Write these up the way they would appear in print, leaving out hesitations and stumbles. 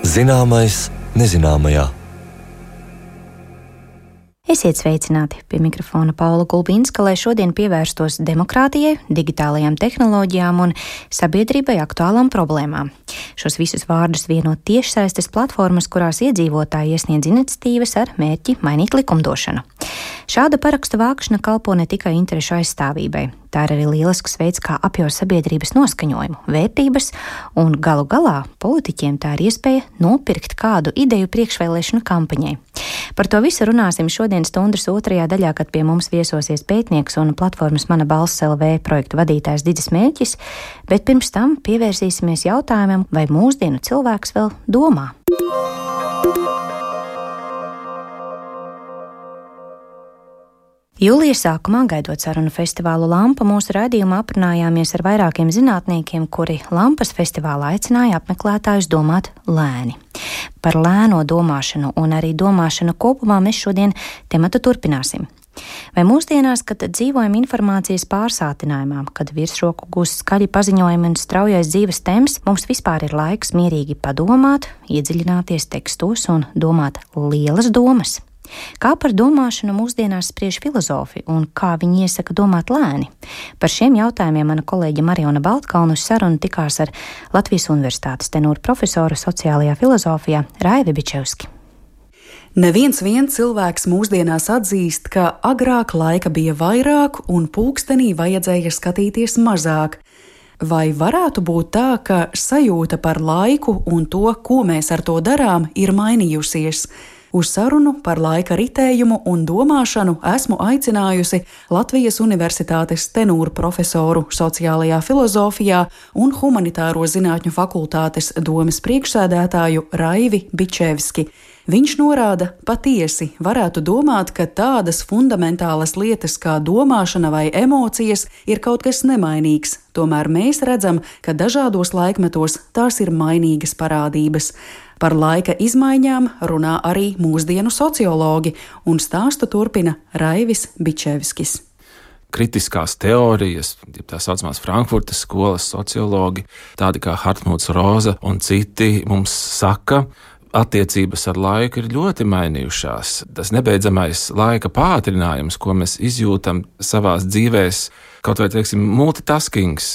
Zināmais nezināmajā. Esiet sveicināti! Pie mikrofona Paula Gulbinska, lai šodien pievērstos demokrātijai, digitālajām tehnoloģijām un sabiedrībai aktuālām problēmām. Šos visus vārdus vieno tiešsaistes platformas, kurās iedzīvotāji iesniedz iniciatīvas ar mērķi mainīt likumdošanu. Šāda parakstu vākšana kalpo ne tikai interešu aizstāvībai. Tā ir arī lielisks veids, kā apjaut sabiedrības noskaņojumu, vērtības, un galu galā politiķiem tā ir iespēja nopirkt kādu ideju priekšvēlēšanu kampaņai. Par to visu runāsim šodien stundas otrajā daļā, kad pie mums viesosies pētnieks un platformas Mana balss LV projektu vadītājs Didis Mēķis, bet pirms tam pievērsīsimies jautājumam, vai mūsdienu cilvēks vēl domā. Jūlija sākumā, gaidot sarunu festivālu Lampa, mūsu raidījumā aprunājāmies ar vairākiem zinātniekiem, kuri Lampas festivālā aicināja apmeklētājus domāt lēni. Par lēno domāšanu un arī domāšanu kopumā mēs šodien tematu turpināsim. Vai mūsdienās, kad dzīvojam informācijas pārsātinājumā, kad virsroku gūst skaļi paziņojumi un straujais dzīves temps, mums vispār ir laiks mierīgi padomāt, iedziļināties tekstos un domāt lielas domas? Kā par domāšanu mūsdienās spriež filozofi un kā viņi iesaka domāt lēni? Par šiem jautājumiem mana kolēģe Mariona Baltkalna uz sarunu tikās ar Latvijas Universitātes tenūra profesoru sociālajā filozofijā Raivi Bičevski. Neviens vien cilvēks mūsdienās atzīst, ka agrāk laika bija vairāk un pulkstenī vajadzēja skatīties mazāk. Vai varētu būt tā, ka sajūta par laiku un to, ko mēs ar to darām, ir mainījusies? Uz sarunu par laika ritējumu un domāšanu esmu aicinājusi Latvijas Universitātes tenūra profesoru sociālajā filozofijā un humanitāro zinātņu fakultātes domes priekšsēdētāju Raivi Bičevski. Viņš norāda, patiesi varētu domāt, ka tādas fundamentālas lietas kā domāšana vai emocijas ir kaut kas nemainīgs, tomēr mēs redzam, ka dažādos laikmetos tās ir mainīgas parādības. Par laika izmaiņām runā arī mūsdienu sociologi, un stāstu turpina Raivis Bičevskis. Kritiskās teorijas, tā saucamās Frankfurtas skolas sociologi, tādi kā Hartmuts Roza un citi mums saka, attiecības ar laiku ir ļoti mainījušās. Tas nebeidzamais laika pātrinājums, ko mēs izjūtam savās dzīvēs, kaut vai, teiksim, multitaskings,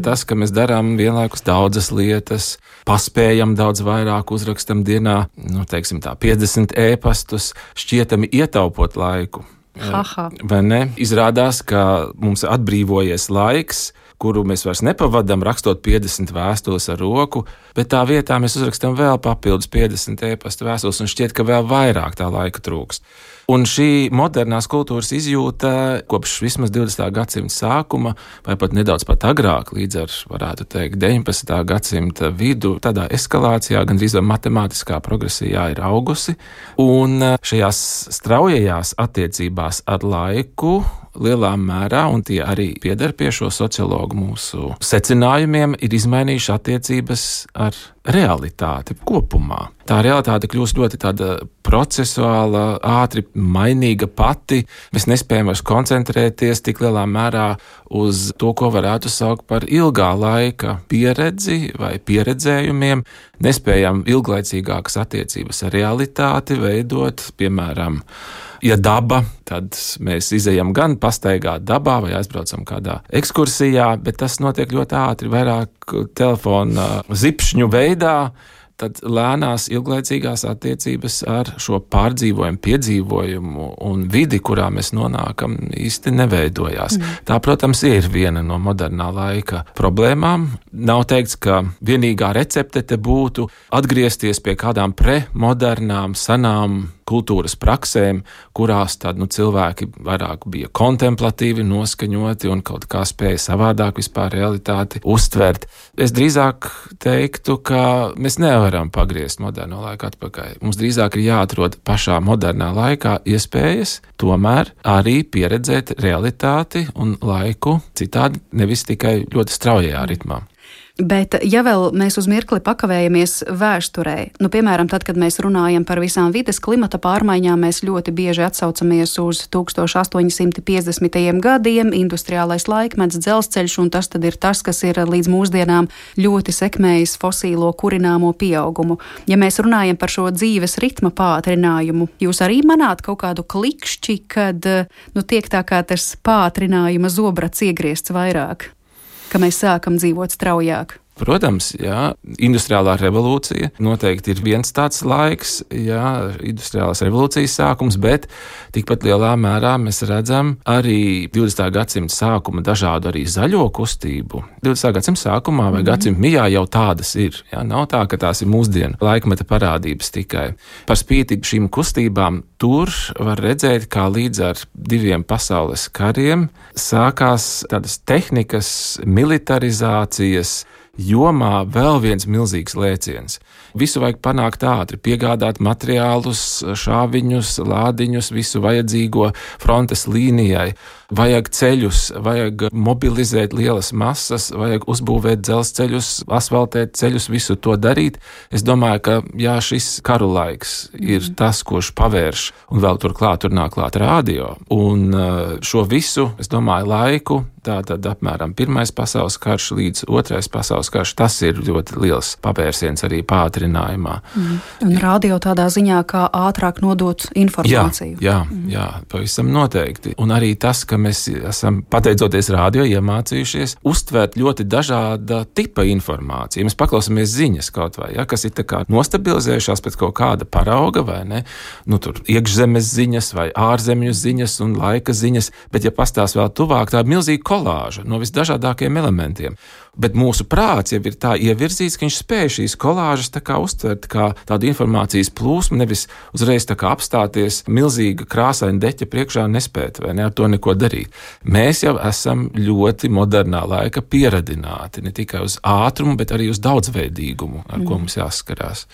tas, ka mēs darām vienlaikus daudzas lietas, paspējam daudz vairāk, uzrakstam dienā, teiksim tā, 50 ēpastus, šķietami ietaupot laiku. Vai ne? Izrādās, ka mums atbrīvojies laiks, kuru mēs vairs nepavadām rakstot 50 vēstules ar roku, bet tā vietā mēs uzrakstam vēl papildus 50 ēpastu vēstules un šķiet, ka vēl vairāk tā laika trūkst. Un šī modernās kultūras izjūta kopš vismaz 20. gadsimta sākuma, vai pat nedaudz pat agrāk, līdz ar, varētu teikt, 19. gadsimta vidu, tādā eskalācijā, gandrīz vai matemātiskā progresijā ir augusi, un šajās straujajās attiecībās ar laiku lielā mērā, un tie arī pieder pie šo sociologu mūsu secinājumiem, ir izmainījuši attiecības ar realitāti kopumā. Tā realitāte kļūst ļoti tāda procesuāla, ātri mainīga pati. Mēs nespējam vairs koncentrēties tik lielā mērā uz to, ko varētu saukt par ilgā laika pieredzi vai pieredzējumiem. Nespējam ilglaicīgākas attiecības ar realitāti veidot, piemēram, ja daba, tad mēs izejam gan pastaigāt dabā vai aizbraucam kādā ekskursijā, bet tas notiek ļoti ātri, vairāk telefona zipšņu veidā. Tad lēnās ilglaicīgās attiecības ar šo pārdzīvojumu, piedzīvojumu un vidi, kurā mēs nonākam, īsti neveidojās. Tā, protams, ir viena no modernā laika problēmām. Nav teikts, ka vienīgā recepte te būtu atgriezties pie kādām premodernām, senām kultūras praksēm, kurās tad, cilvēki vairāk bija kontemplatīvi noskaņoti un kaut kā spēja savādāk vispār realitāti uztvert. Es drīzāk teiktu, ka mēs nevaram pagriezt moderno laiku atpakaļ. Mums drīzāk ir jāatrod pašā modernā laikā iespējas tomēr arī pieredzēt realitāti un laiku citādi, nevis tikai ļoti straujajā ritmā. Bet, ja vēl mēs uz mirkli pakavējamies vēsturē, piemēram, tad, kad mēs runājam par visām vides klimata pārmaiņām, mēs ļoti bieži atsaucamies uz 1850. gadiem, industriālais laikmets, dzelzceļš, un tas tad ir tas, kas ir līdz mūsdienām ļoti sekmējis fosīlo kurināmo pieaugumu. Ja mēs runājam par šo dzīves ritma pātrinājumu, jūs arī manāt kaut kādu klikšķi, kad tiek tā kā tas pātrinājuma zobrats iegriezts vairāk, ka mēs sākam dzīvot straujāk? Protams, jā, industriālā revolūcija noteikti ir viens tāds laiks, jā, industriālās revolūcijas sākums, bet tikpat lielā mērā mēs redzam arī 20. gadsimta sākuma dažādu arī zaļo kustību. 20. gadsimta sākumā vai gadsimta mijā jau tādas ir. Jā, nav tā, ka tās ir mūsdienu laikmeta parādības tikai. Par spīti šīm kustībām tur var redzēt, kā līdz ar 2 pasaules kariem sākās tādas tehnikas, militarizācijas jomā vēl viens milzīgs lēciens. Visu vajag panākt ātri, piegādāt materiālus, šāviņus, lādiņus, visu vajadzīgo frontes līnijai. Vajag ceļus, vajag mobilizēt lielas masas, vajag uzbūvēt dzelzceļus, asfaltēt ceļus, visu to darīt. Es domāju, ka jā, šis karu laiks ir tas, kurš pavērš, un vēl turklāt tur nāk klāt radio. Un šo visu, es domāju, laiku, tātad apmēram 1. pasaules karš līdz 2. pasaules karš, tas ir ļoti liels pavērsiens arī pātrinājumā. Un radio tādā ziņā, kā ātrāk nodot informāciju. Jā, pavisam noteikti. Un arī tas, ka mēs esam, pateicoties radio, iemācījušies uztvert ļoti dažāda tipa informāciju. Mēs paklausāmies ziņas kaut vai, ja, kas ir tā kā nostabilizējušās pēc kaut kāda parauga, vai ne? Tur iekšzemes ziņas vai ārzemju ziņas un laika ziņas, bet ja pastāst vēl tuvāk, tā ir milzīga kolāža no visdažādākajiem elementiem. Bet mūsu prāts jau ir tā ievirzīts, ka viņš spēj šīs kolāžas tā kā uztvert kā tādu informācijas plūsmu, nevis uzreiz tā kā apstāties milzīga krāsaina deķa priekšā un nespēt, vai ne, ar to neko darīt. Mēs jau esam ļoti modernā laika pieradināti, ne tikai uz ātrumu, bet arī uz daudzveidīgumu, ar ko mums jāskarās.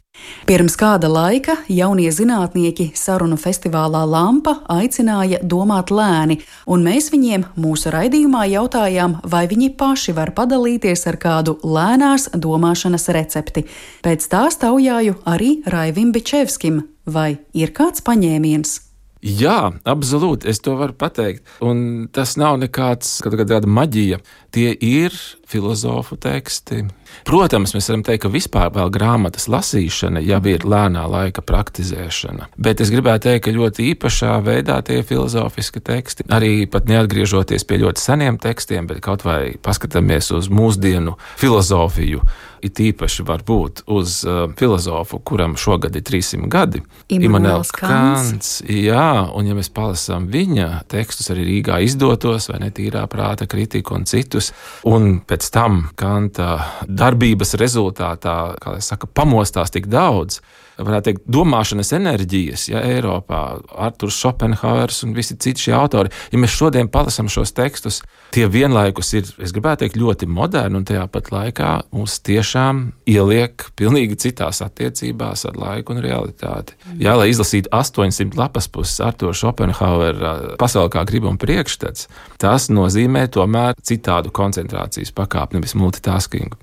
Pirms kāda laika jaunie zinātnieki sarunu festivālā Lampa aicināja domāt lēni, un mēs viņiem mūsu raidījumā jautājām, vai viņi paši var padalīties ar kādu lēnās domāšanas recepti. Pēc tā taujāju arī Raivim Bičevskim, vai ir kāds paņēmiens? Jā, absolūti, es to varu pateikt. Un tas nav nekāds kāda maģija. Tie ir filozofu teksti. Protams, mēs varam teikt, ka vispār vēl grāmatas lasīšana jau ir lēnā laika praktizēšana. Bet es gribētu teikt, ka ļoti īpašā veidā tie filozofiski teksti, arī pat neatgriežoties pie ļoti seniem tekstiem, bet kaut vai paskatāmies uz mūsdienu filozofiju, it īpaši varbūt uz filozofu, kuram šogad ir 300 gadi. Immanuels Kants. Jā, un ja mēs palasām viņa tekstus arī Rīgā izdotos, vai ne, Tīrā prāta kritika un citus, un pēc tam Kanta darbības rezultātā, kā lai saka, pamostās tik daudz, varētu teikt, domāšanas enerģijas, ja Eiropā, Arturs Šopenhauers un visi citi šie autori, ja mēs šodien palasam šos tekstus, tie vienlaikus ir, es gribētu teikt, ļoti moderni, un tajā pat laikā mūs tiešām ieliek pilnīgi citās attiecībās ar laiku un realitāti. Jā, lai izlasītu 800 lapas puses Artura Šopenhauera Pasaule kā griba un priekšstats, tas nozīmē tomēr citādu koncentrācijas pakāpi, nevis multitaskingu.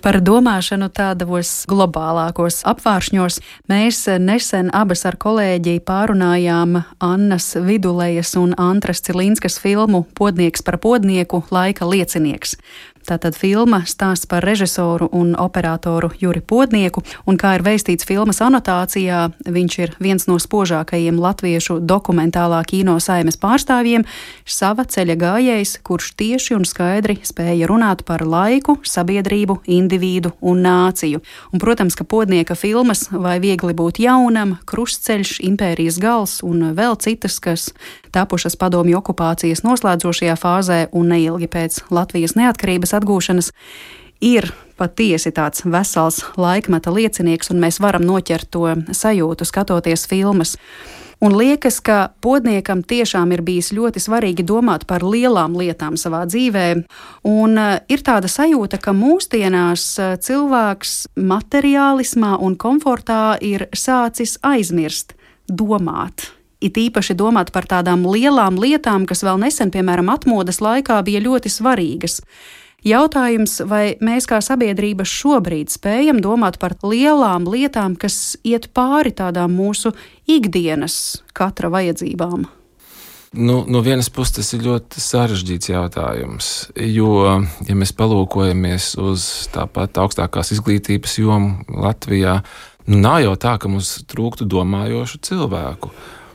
Par domāšanu tādos globālākos apvāršņos mēs nesen abas ar kolēģi pārunājām Annas Vidulejas un Antras Cilinskas filmu Podnieks par podnieku, laika liecinieks. Tātad filma stāsts par režisoru un operatoru Juri Podnieku, un kā ir veistīts filmas anotācijā, viņš ir viens no spožākajiem latviešu dokumentālā kino saimes pārstāvjiem, sava ceļa gājējs, kurš tieši un skaidri spēja runāt par laiku, sabiedrību, individu un nāciju. Un, protams, ka Podnieka filmas Vai viegli būt jaunam, Krustceļš, Impērijas gals un vēl citas, kas tapušas padomju okupācijas noslēdzošajā fāzē un neilgi pēc Latvijas neatkarības atgūšanas, ir patiesi tāds vesels laikmeta liecinieks, un mēs varam noķert to sajūtu, skatoties filmas. Un liekas, ka Podniekam tiešām ir bijis ļoti svarīgi domāt par lielām lietām savā dzīvē, un ir tāda sajūta, ka mūsdienās cilvēks materiālismā un komfortā ir sācis aizmirst domāt. It īpaši domāt par tādām lielām lietām, kas vēl nesen, piemēram, atmodas laikā bija ļoti svarīgas. Jautājums, vai mēs kā sabiedrība šobrīd spējam domāt par lielām lietām, kas iet pāri tādām mūsu ikdienas katra vajadzībām? No vienas puses tas ir ļoti sarežģīts jautājums, jo, ja mēs palūkojamies uz tāpat augstākās izglītības jomu Latvijā, nav jau tā, ka mums trūktu domājošu cilvēku.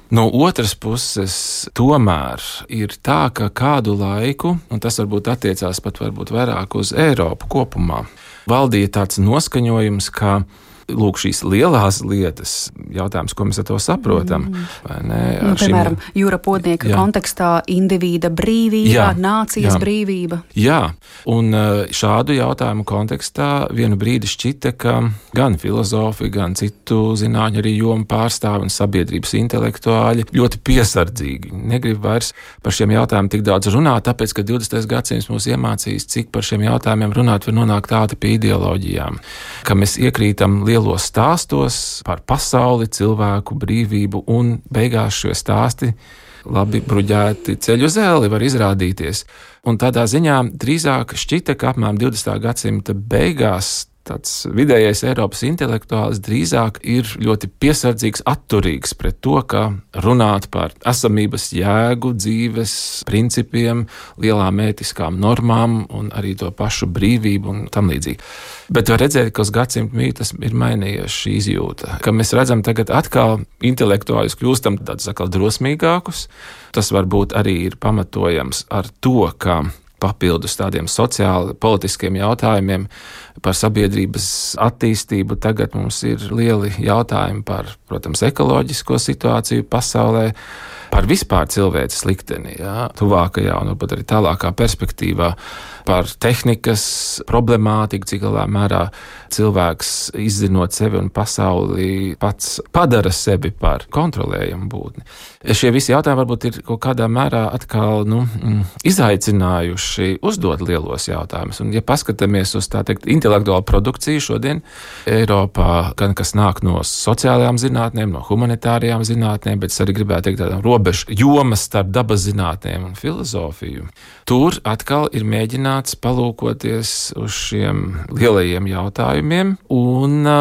No otras puses, tomēr ir tā, ka kādu laiku, un tas varbūt attiecās pat varbūt vairāk uz Eiropu kopumā, valdīja tāds noskaņojums, ka lūk, šīs lielās lietas, jautājums, ko mēs ar to saprotam, vai ne? Piemēram, Jūra Podnieka kontekstā individa brīvība, nācijas brīvība. Jā, un šādu jautājumu kontekstā vienu brīdi šķita, ka gan filozofi, gan citu zinātņu arī jomu pārstāvi un sabiedrības intelektuāļi ļoti piesardzīgi. Negrib vairs par šiem jautājumiem tik daudz runāt, tāpēc, ka 20. gadsimts mūs iemācījis, cik par šiem jautājumiem runāt var nonākt tādi pie ideoloģijām, ka mēs iekrītam lielos stāstos par pasauli, cilvēku brīvību, un beigās šie stāsti labi bruģēti ceļu uz elli var izrādīties. Un tādā ziņā drīzāk šķita, ka apmēram 20. gadsimta beigās tāds vidējais Eiropas intelektuālis drīzāk ir ļoti piesardzīgs, atturīgs pret to, ka runāt par esamības jēgu, dzīves principiem, lielām ētiskām normām un arī to pašu brīvību un tam līdzīgi. Bet var redzēt, ka uz gadsimtu mītas ir mainījies šī izjūta, ka mēs redzam tagad atkal intelektuāļus kļūstam tādus atkal drosmīgākus. Tas varbūt arī ir pamatojams ar to, ka papildus tādiem sociāli politiskiem jautājumiem par sabiedrības attīstību tagad mums ir lieli jautājumi par, protams, ekoloģisko situāciju pasaulē, par vispār cilvēces likteni, tuvākajā un varbūt arī tālākā perspektīvā, par tehnikas problemātiku, cik lielā mērā cilvēks izzinot sevi un pasauli pats padara sevi par kontrolējumu būtni. Šie visi jautājumi varbūt ir kaut kādā mērā atkal izaicinājuši uzdot lielos jautājumus. Un ja paskatāmies uz tā teikt intelektuālu produkciju šodien Eiropā, gan kas nāk no sociālajām zinātnēm, no humanitārajām zinātnēm, bet es arī gribētu teikt tādām robežu jomas starp dabas zinātnēm un filozofiju, tur atkal ir mēģināts palūkoties uz šiem lielajiem jautājumiem un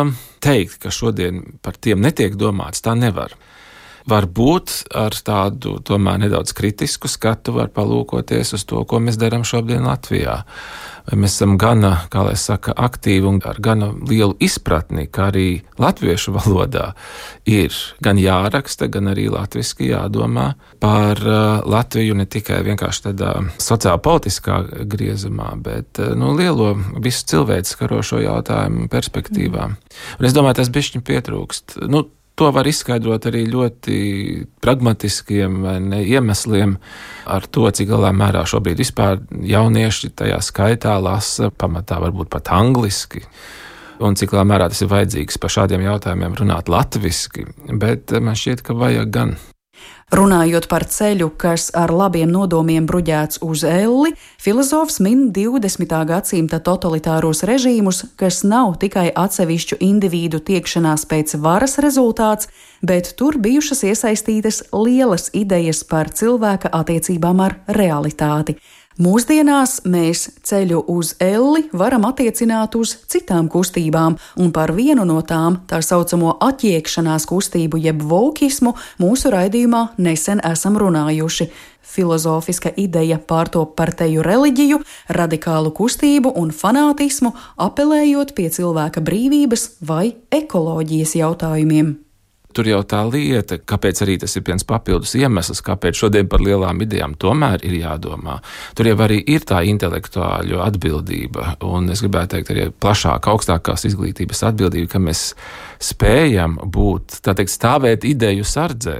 teikt, ka šodien par tiem netiek domāts, tā nevar. Varbūt ar tādu tomēr nedaudz kritisku skatu var palūkoties uz to, ko mēs darām šobrīd Latvijā. Vai mēs esam gana, kā lai saka, aktīvi un ar gana lielu izpratni, ka arī latviešu valodā ir gan jāraksta, gan arī latviski jādomā par Latviju ne tikai vienkārši tādā sociālpolitiskā griezumā, bet lielo visu cilvēku skarošo jautājumu perspektīvā. Un es domāju, tas bišķiņ pietrūkst. To var izskaidrot arī ļoti pragmatiskiem iemesliem ar to, cik lielā mērā šobrīd vispār jaunieši tajā skaitā lasa pamatā varbūt pat angliski. Un cik lielā mērā tas ir vajadzīgs par šādiem jautājumiem runāt latviski, bet man šķiet, ka vajag gan. Runājot par ceļu, kas ar labiem nodomiem bruģēts uz elli, filozofs min 20. gadsimta totalitāros režīmus, kas nav tikai atsevišķu individu tiekšanās pēc varas rezultāts, bet tur bijušas iesaistītas lielas idejas par cilvēka attiecībām ar realitāti. Mūsdienās mēs ceļu uz elli varam attiecināt uz citām kustībām, un par vienu no tām, tā saucamo atjiekšanās kustību jeb vokismu, mūsu raidījumā nesen esam runājuši. Filozofiska ideja pārtop par teju reliģiju, radikālu kustību un fanātismu, apelējot pie cilvēka brīvības vai ekoloģijas jautājumiem. Tur jau tā lieta, kāpēc arī tas ir viens papildus iemesls, kāpēc šodien par lielām idejām tomēr ir jādomā. Tur jau arī ir tā intelektuāļu atbildība, un es gribētu teikt arī plašāk, augstākās izglītības atbildība, ka mēs spējam būt, tā teikt, stāvēt ideju sardzē.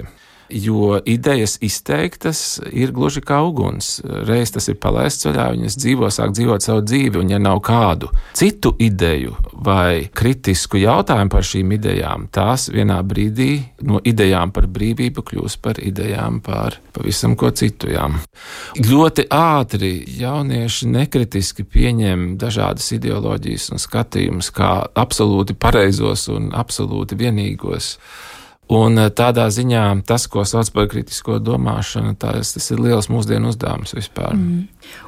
Jo idejas izteiktas ir gluži kā uguns. Reiz tas ir palaists ceļā, viņas sāk dzīvot savu dzīvi, un ja nav kādu citu ideju vai kritisku jautājumu par šīm idejām, tās vienā brīdī no idejām par brīvību kļūs par idejām par pavisam ko citu. Ļoti ātri jaunieši nekritiski pieņem dažādas ideoloģijas un skatījumus kā absolūti pareizos un absolūti vienīgos. Un tādā ziņā tas, ko sauc par kritisko domāšanu, tas ir liels mūsdienu uzdevums vispār.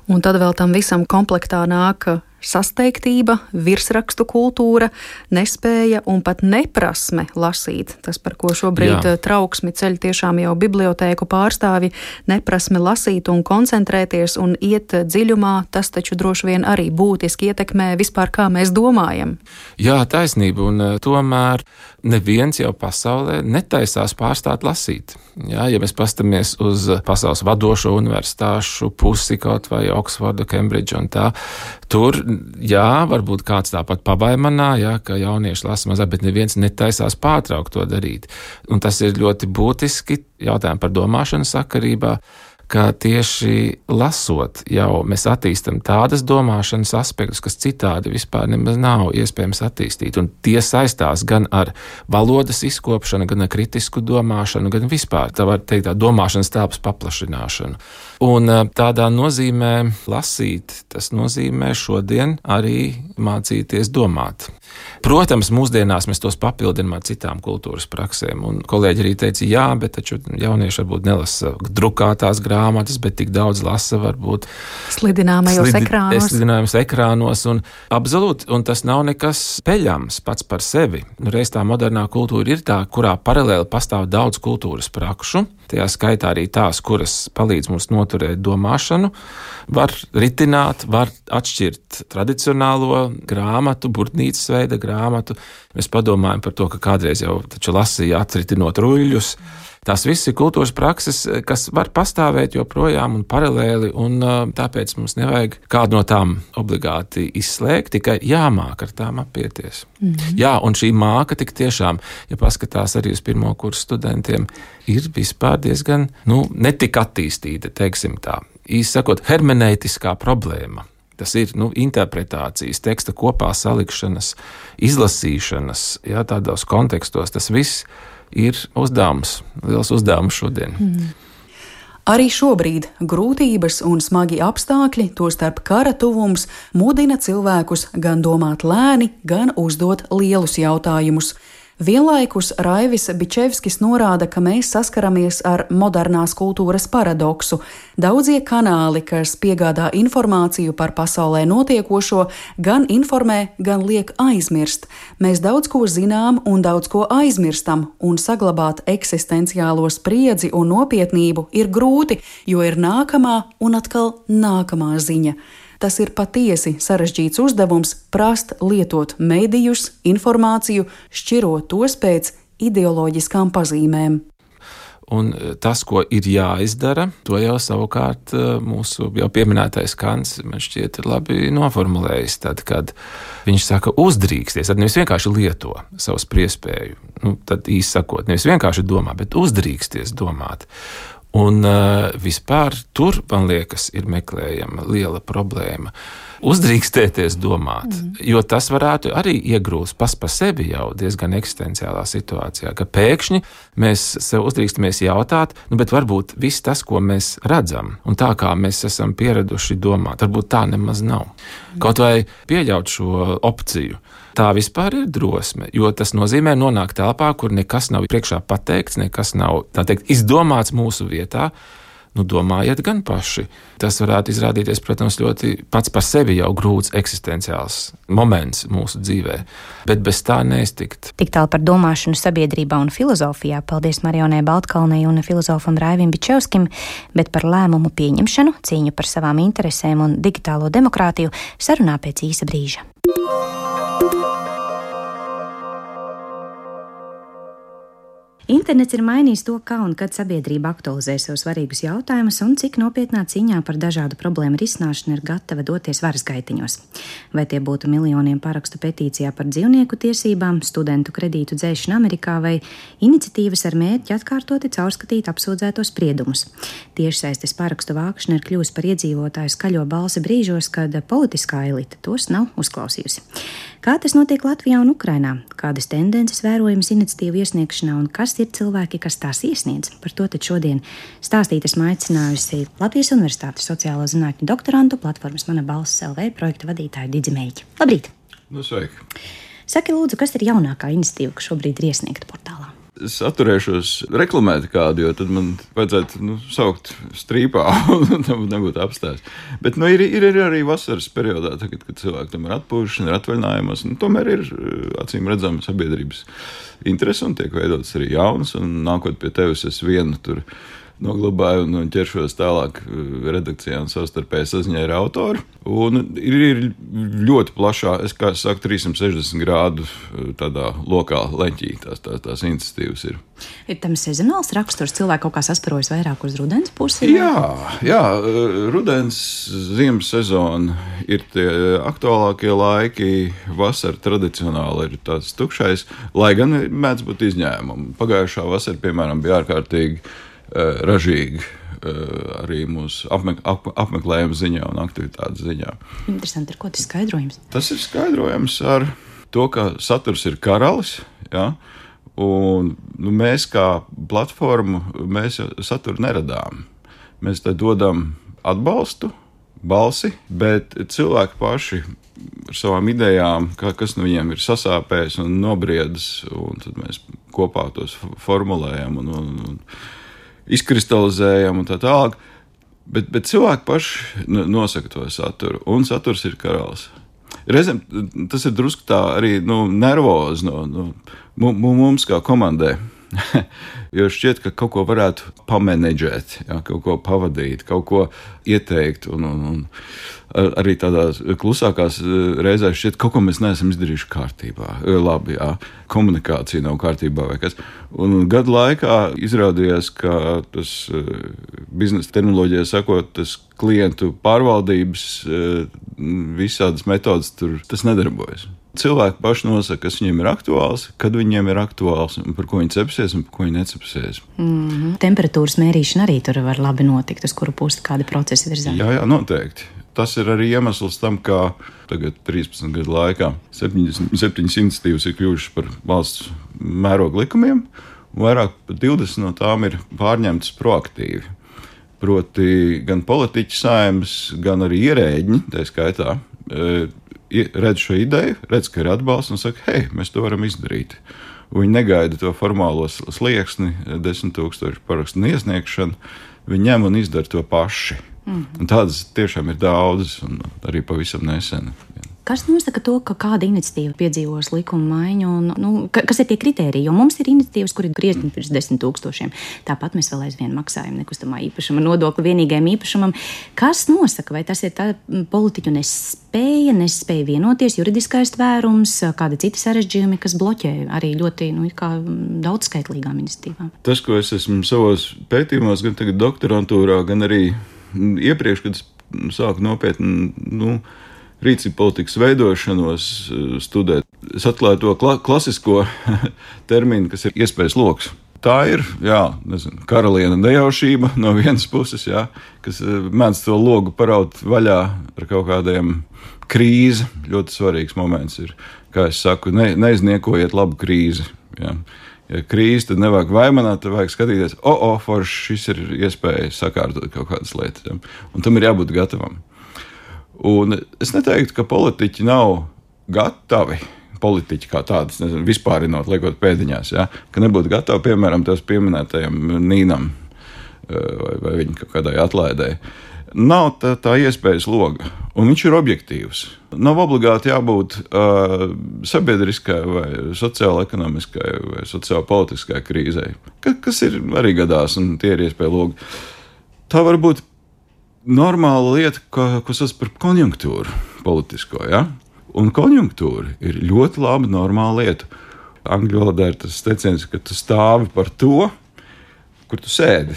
Un tad vēl tam visam komplektā nāk sasteigtība, virsrakstu kultūra, nespēja un pat neprasme lasīt. Tas, par ko šobrīd trauksmi ceļ tiešām jau bibliotēku pārstāvi, neprasme lasīt un koncentrēties un iet dziļumā, tas taču droši vien arī būtiski ietekmē vispār, kā mēs domājam. Jā, taisnība, un tomēr neviens jau pasaulē netaisās pārstāt lasīt. Jā, ja mēs pastamies uz pasaules vadošo universitāšu pusi, kaut vai Oksforda, Kembridža un tā, tur, jā, varbūt kāds tāpat pabaimanā, jā, ka jaunieši lasa mazāk, bet neviens netaisās pārtraukt to darīt. Un tas ir ļoti būtiski jautājumi par domāšanu sakarībā, ka tieši lasot jau mēs attīstam tādas domāšanas aspektus, kas citādi vispār nemaz nav iespējams attīstīt. Un tie saistās gan ar valodas izkopšanu, gan ar kritisku domāšanu, gan vispār, tā var teikt, tā domāšanas telpas paplašināšanu. Un tādā nozīmē lasīt, tas nozīmē šodien arī mācīties domāt. Protams, mūsdienās mēs tos papildinām ar citām kultūras praksēm, un kolēģi arī teica, jā, bet taču jaunieši varbūt nelasa drukātās grāmatas, bet tik daudz lasa varbūt slidinājumos ekrānos, un absolūti, un tas nav nekas peļams pats par sevi. Reiz tā modernā kultūra ir tā, kurā paralēli pastāv daudz kultūras prakšu, tajā skaitā arī tās, kuras palīdz mums noturēt domāšanu, var ritināt, var atšķirt tradicionālo grāmatu, burtnīcas veida grāmatu. Mēs padomājam par to, ka kādreiz jau taču lasīja atritinot ruļļus. Tās viss ir kultūras prakses, kas var pastāvēt joprojām un paralēli, un tāpēc mums nevajag kādu no tām obligāti izslēgt, tikai jāmāk ar tām apieties. Jā, un šī māka tik tiešām, ja paskatās arī uz pirmo kursu studentiem, ir vispār diezgan, netik attīstīta, teiksim tā. Īsi sakot, hermeneitiskā problēma. Tas ir interpretācijas, teksta kopā salikšanas, izlasīšanas, jā, tādos kontekstos. Tas viss ir uzdevums, liels uzdevums šodien. Arī šobrīd grūtības un smagi apstākļi, tostarp kara tuvums, mudina cilvēkus gan domāt lēni, gan uzdot lielus jautājumus. Vienlaikus Raivis Bičevskis norāda, ka mēs saskaramies ar modernās kultūras paradoksu. Daudzie kanāli, kas piegādā informāciju par pasaulē notiekošo, gan informē, gan liek aizmirst. Mēs daudz ko zinām un daudz ko aizmirstam, un saglabāt eksistenciālo spriedzi un nopietnību ir grūti, jo ir nākamā un atkal nākamā ziņa. Tas ir patiesi sarežģīts uzdevums prast lietot medijus, informāciju, šķirot tos pēc ideoloģiskām pazīmēm. Un tas, ko ir jāizdara, to jau savukārt mūsu jau pieminētais Kants, man šķiet, ir labi noformulējis. Tad, kad viņš saka uzdrīksties, tad nevis vienkārši lieto savu spriespēju, tad īsi sakot, nevis vienkārši domā, bet uzdrīksties domāt. Un vispār tur, man liekas, ir meklējama liela problēma. Uzdrīkstēties domāt, jo tas varētu arī iegrūst pas pa sevi jau diezgan eksistenciālā situācijā, ka pēkšņi mēs sev uzdrīkstamies jautāt, bet varbūt viss tas, ko mēs redzam, un tā kā mēs esam pieraduši domāt, varbūt tā nemaz nav. Kaut vai pieļaut šo opciju. Tā vispār ir drosme, jo tas nozīmē nonākt telpā, kur nekas nav priekšā pateikts, nekas nav, tā teikt, izdomāts mūsu vietā. Domājiet gan paši. Tas varētu izrādīties, protams, ļoti pats par sevi jau grūts eksistenciāls moments mūsu dzīvē, bet bez tā neiztikt. Tik tālu par domāšanu sabiedrībā un filozofijā. Paldies Marijonai Baltkalnei un filozofam Raivim Bičevskim, bet par lēmumu pieņemšanu, cīņu par savām interesēm un digitālo demokrātiju sarunā pēc īsa brīža. Internets ir mainījis to, kā un kad sabiedrība aktualizē sev svarīgus jautājumus un cik nopietnā cīņā par dažādu problēmu risināšanu ir gatava doties varas gaitiņos. Vai tie būtu miljoniem parakstu petīcijā par dzīvnieku tiesībām, studentu kredītu dzēšanu Amerikā vai iniciatīvas ar mērķi atkārtoti caurskatīt apsūdzēto spriedumus. Tiešsaistes parakstu vākšana ir kļuvusi par iedzīvotāju skaļo balsi brīžos, kad politiskā elite tos nav uzklausījusi. Kā tas notiek Latvijā un Ukrainā? Kādas tendences vērojamas iniciatīvu iesniegšanā un kas ir cilvēki, kas tās iesniedz? Par to tad šodien stāstīt esmu aicinājusi Latvijas Universitātes sociālo zinātņu doktorantu platformas Mana balss LV projekta vadītāju Didzi Meļķi. Labrīt! Sveiki! Saki lūdzu, kas ir jaunākā iniciatīva, kas šobrīd ir iesniegta portālā? Es atturēšos reklamēt kādu, jo tad man vajadzētu saukt strīpā un tam nebūtu apstāsts. Bet ir arī vasaras periodā, tagad, kad cilvēki tam ir atpūšana, ir atvaļinājumos, tomēr ir acīm redzama sabiedrības interese un tiek veidotas arī jaunas, un nākot pie tevis es vienu tur noglabāju un ķeršos tālāk redakcijā un savstarpēji saziņai ar autoru. Un ir ļoti plašā, kā es saku, 360 grādu tādā lokā leņķī tās iniciatīvas ir. Ir tam sezonāls raksturs, cilvēki kaut kā sasparojas vairāk uz rudens pusi? Jā, rudens, ziemas sezona ir tie aktuālākie laiki, vasara tradicionāli ir tāds tukšais, lai gan mēdz būt izņēmumi. Pagājušā vasara, piemēram, bija ārkārtīgi ražīgi arī mūsu apmeklējuma ziņā un aktivitātes ziņā. Interesanti, ar ko tas skaidrojums? Tas ir skaidrojams ar to, ka saturs ir karalis, ja? Un mēs kā platformu, mēs saturu neradām. Mēs te dodam atbalstu, balsi, bet cilvēki paši ar savām idejām, kas no viņiem ir sasāpējis un nobriedis, un tad mēs kopā tos formulējam un izkristalizējam un tā tālāk, bet cilvēki paši nosaka to saturu, un saturs ir karalis. Reizēm tas ir drusku tā arī nervozi mums kā komandai, jo šķiet, ka kaut ko varētu pamanedžēt, kaut ko pavadīt, kaut ko ieteikt, un arī tādās klusākās reizēs šķiet, kaut ko mēs neesam izdarījuši kārtībā. Labi, komunikācija nav kārtībā vai kas. Un gadu laikā izrādījās, ka tas biznesa terminoloģijā sakot, tas klientu pārvaldības visādas metodas tur tas nedarbojas. Cilvēki paši nosaka, kas viņiem ir aktuāls, kad viņiem ir aktuāls, un par ko viņi cepsies un par ko viņi necepsies. Temperatūras mērīšana arī tur var labi notikt, uz kuru pusi kādi procesi virzās. Jā, noteikti. Tas ir arī iemesls tam, kā tagad 13 gadu laikā 7 iniciatīvas ir kļuvušas par valsts mēroga likumiem, un vairāk par 20 no tām ir pārņemtas proaktīvi. Proti gan politiķi saimnes, gan arī ierēģi, tā skaitā, redz šo ideju, redz, ka ir atbalsts un saka, hei, mēs to varam izdarīt. Viņi negaida to formālo slieksni, 10 000 parakstu iesniegšanu, viņi ņem un izdara to paši. Un tādas tiešām ir daudzas, un arī pavisam nesen. Kas nosaka to, ka kāda iniciatīva piedzīvos likuma maiņu, un kas ir tie kritēriji? Jo mums ir iniciatīvas, kur ir griezni pirms 10 000. Tāpat mēs vēl aizvien maksājam nekustamā īpašuma nodokli vienīgajam īpašumam. Kas nosaka, vai tas ir tā politiķu nespēja vienoties, juridiskais tvērums, kāda cita sarežģījumi, kas bloķē arī ļoti daudzskaitlīgām iniciatīvām? Tas, ko es esmu savos pētījumos, gan tagad doktorantūrā, gan arī iepriekš, kad es sāku nopietni rīcību politikas veidošanos studēt. Es atklāju to klasisko terminu, kas ir iespējas loks. Tā ir, karaliena nejaušība no vienas puses, kas mēdz to logu paraut vaļā ar kaut kādiem krīzi. Ļoti svarīgs moments ir, kā es saku, neizniekojiet labu krīzi. Ja krīze, tad nevajag vaimanāt, tad vajag skatīties, forši, šis ir iespēja sakārtot kaut kādas lietas. Ja? Un tam ir jābūt gatavam. Un es neteiktu, ka politiķi nav gatavi, politiķi kā tādas, vispārinot, liekot pēdiņās, ka nebūtu gatavi, piemēram, tās pieminētajam Nīnam vai viņa kaut kādai atlaidai. Nav tā iespējas loga, un viņš ir objektīvs. Nav obligāti jābūt sabiedriskai vai sociāla-ekonomiskai vai sociāla-politiskai krīzei, kas ir arī gadās, un tie ir iespēja logi. Tā var būt normāla lieta, ko sauc par konjunktūru politisko, Un konjunktūra ir ļoti laba, normāla lieta. Angļu valodā ir tas teiciens, ka tu stāvi par to, kur tu sēdi,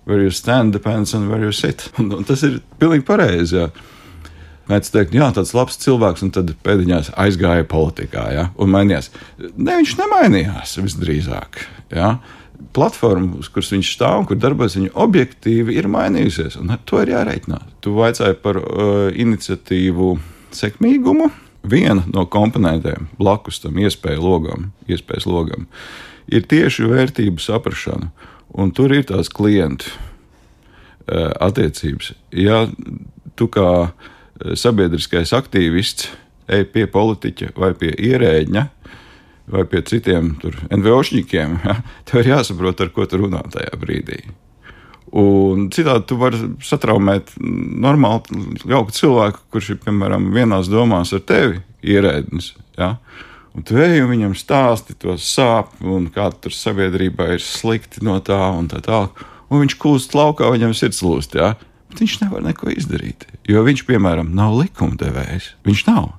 Where you stand depends on where you sit. Un tas ir pilnīgi pareizi, Mēdz teikt, tāds labs cilvēks, un tad pēdiņās aizgāja politikā, un mainījās. Ne, viņš nemainījās visdrīzāk, Platforma, uz kuras viņš stāv un kur darbojas, viņa objektīvi ir mainījusies, un ar to ir jārēķinās. Tu vaicāji par iniciatīvu sekmīgumu. Viena no komponentēm blakus tam iespējas logam ir tieši vērtību saprašana, un tur ir tās klientu attiecības. Ja tu kā sabiedriskais aktīvists ej pie politiķa vai pie ierēģņa, vai pie citiem NVOšņikiem, ja, tev ir jāsaprot, ar ko tu runā tajā brīdī. Un citādi tu vari satraumēt normāli jauku cilvēku, kurš ir, piemēram, vienās domās ar tevi ierēdnis. Ja? Un tu ej un viņam stāsti to sāp un kā tur sabiedrībā ir slikti no tā un tā tālāk. Un viņš kūst laukā, viņam sirds lūst, ja? Bet viņš nevar neko izdarīt, jo viņš, piemēram, nav likumdevējs. Viņš nav.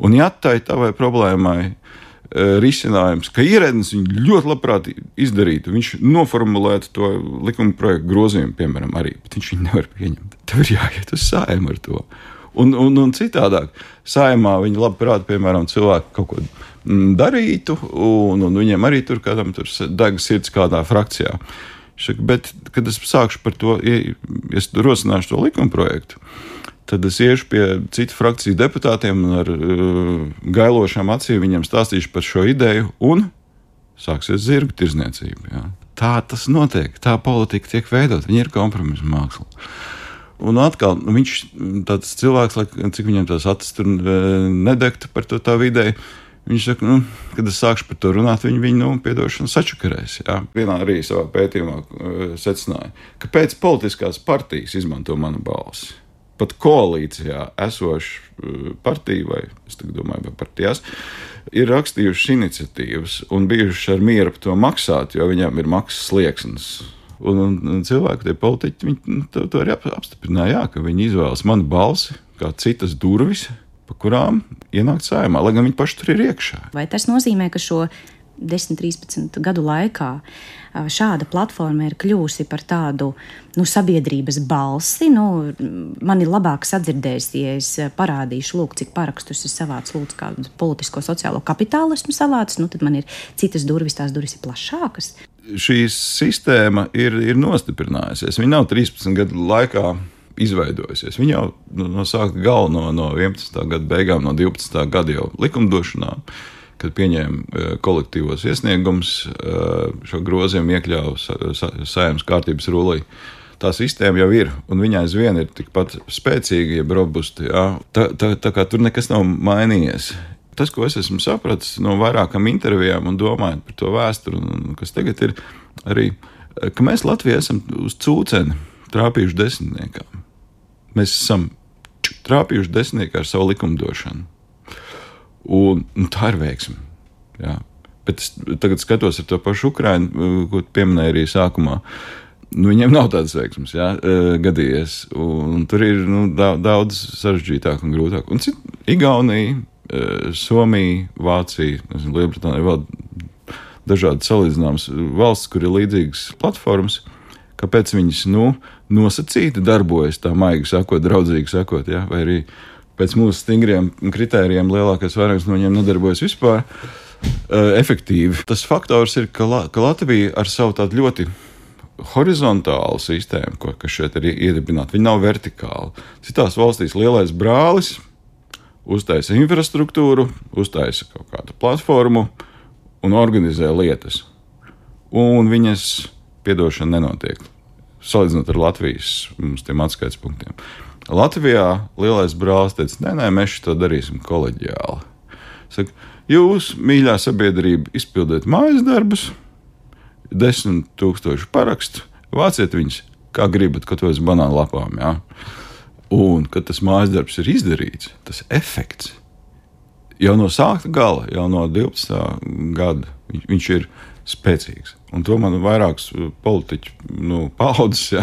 Un ja tai tavai problēmai risinājums, ka ierēdnis viņu ļoti labprāt izdarītu, viņš noformulētu to likuma projektu grozījumu, piemēram, arī, bet viņš viņu nevar pieņemt. Tev ir jāiet uz Saeimu ar to. Un citādāk, Saeimā viņi labprāt, piemēram, cilvēki kaut ko darītu, un viņiem arī tur kādam tur deg sirds kādā frakcijā. Bet, kad es sākšu par to, es rosināšu to likuma projektu, tad es iešu pie citu frakciju deputātiem un ar gailošām acīm viņiem stāstīšu par šo ideju un sāksies zirgu tirdzniecība. Ja. Tā tas notiek, tā politika tiek veidot, viņa ir kompromisa māksla. Un atkal, viņš tāds cilvēks, cik viņam tās acis tur nedegta par to tā ideju, viņš saka, kad es sākšu par to runāt, viņu piedošanu sačakarēs. Ja. Vienā arī savā pētījumā secināja, ka pēc politiskās partijas izmanto manu balsi. Pat koalīcijā esoša partija, vai es domāju, vai partijās, ir rakstījušas iniciatīvas un bijušas ar mieru par to maksāt, jo viņām ir maksas slieksnis. Un cilvēki, tie politiķi, viņi to arī apstiprināja, ka viņi izvēlas manu balsi kā citas durvis, pa kurām ienākt Saeimā, lai gan viņi paši tur ir iekšā. Vai tas nozīmē, ka šo 10-13 gadu laikā šāda platforma ir kļūsi par tādu sabiedrības balsi? Man ir labāk sadzirdējis, ja es parādīšu, lūk, cik parakstus es savācu, lūdzu, kādu politisko sociālo kapitālu esmu savācis, tad man ir citas durvis, tās durvis ir plašākas. Šī sistēma ir nostiprinājusies. Viņa nav 13 gadu laikā izveidojusies. Viņa jau no sākta gala no 11. gada beigām, no 12. gada jau likumdošanā, kad pieņēma kolektīvos iesniegumus, šo grozījumu iekļāva Saeimas kārtības rullī. Tā sistēma jau ir, un viņa aizvien ir tikpat spēcīga, jeb robusta. Ja? Tā kā tur nekas nav mainījies. Tas, ko es esmu sapratis no vairākām intervijām un domājot par to vēsturi, un kas tagad ir arī, ka mēs Latvijā esam uz cūceni trāpījuši desmitniekām. Mēs esam trāpījuši desmitniekā ar savu likumdošanu. Un tā ir veiksme. Jā. Bet es tagad skatos ar to pašu Ukrainu, ko pieminēju arī sākumā. Viņiem nav tādas veiksmes, gadījies. Un tur ir daudz sarežģītāk un grūtāk. Un Igaunija, Somija, Vācija, Lielbritānija, vēl dažādi salīdzināmas valsts, kur ir līdzīgas platformas. Kāpēc viņas nosacīti darbojas, tā maigi sakot, draudzīgi sakot, vai arī pēc mūsu stingriem kritērijiem lielākais vairākums no viņiem nedarbojas vispār efektīvi. Tas faktors ir, ka Latvija ar savu tādu ļoti horizontālu sistēmu, kas šeit ir iedibināta, viņa nav vertikāla. Citās valstīs lielais brālis uztaisa infrastruktūru, uztaisa kaut kādu platformu un organizē lietas. Un viņas piedošana nenotiek. Salīdzinot ar Latvijas mums tiem atskaites punktiem. Latvijā lielais brālis teica, nē, mēs to darīsim koleģiāli. Saka, jūs, mīļā sabiedrība, izpildiet mājas darbus, 10,000 parakstu, vāciet viņus, kā gribat, kaut vai uz banānu lapām. Ja? Un, kad tas mājas darbs ir izdarīts, tas efekts jau no sākta gala, jau no 12. gada, viņš ir spēcīgs. Un to man vairākas politiķu paudzes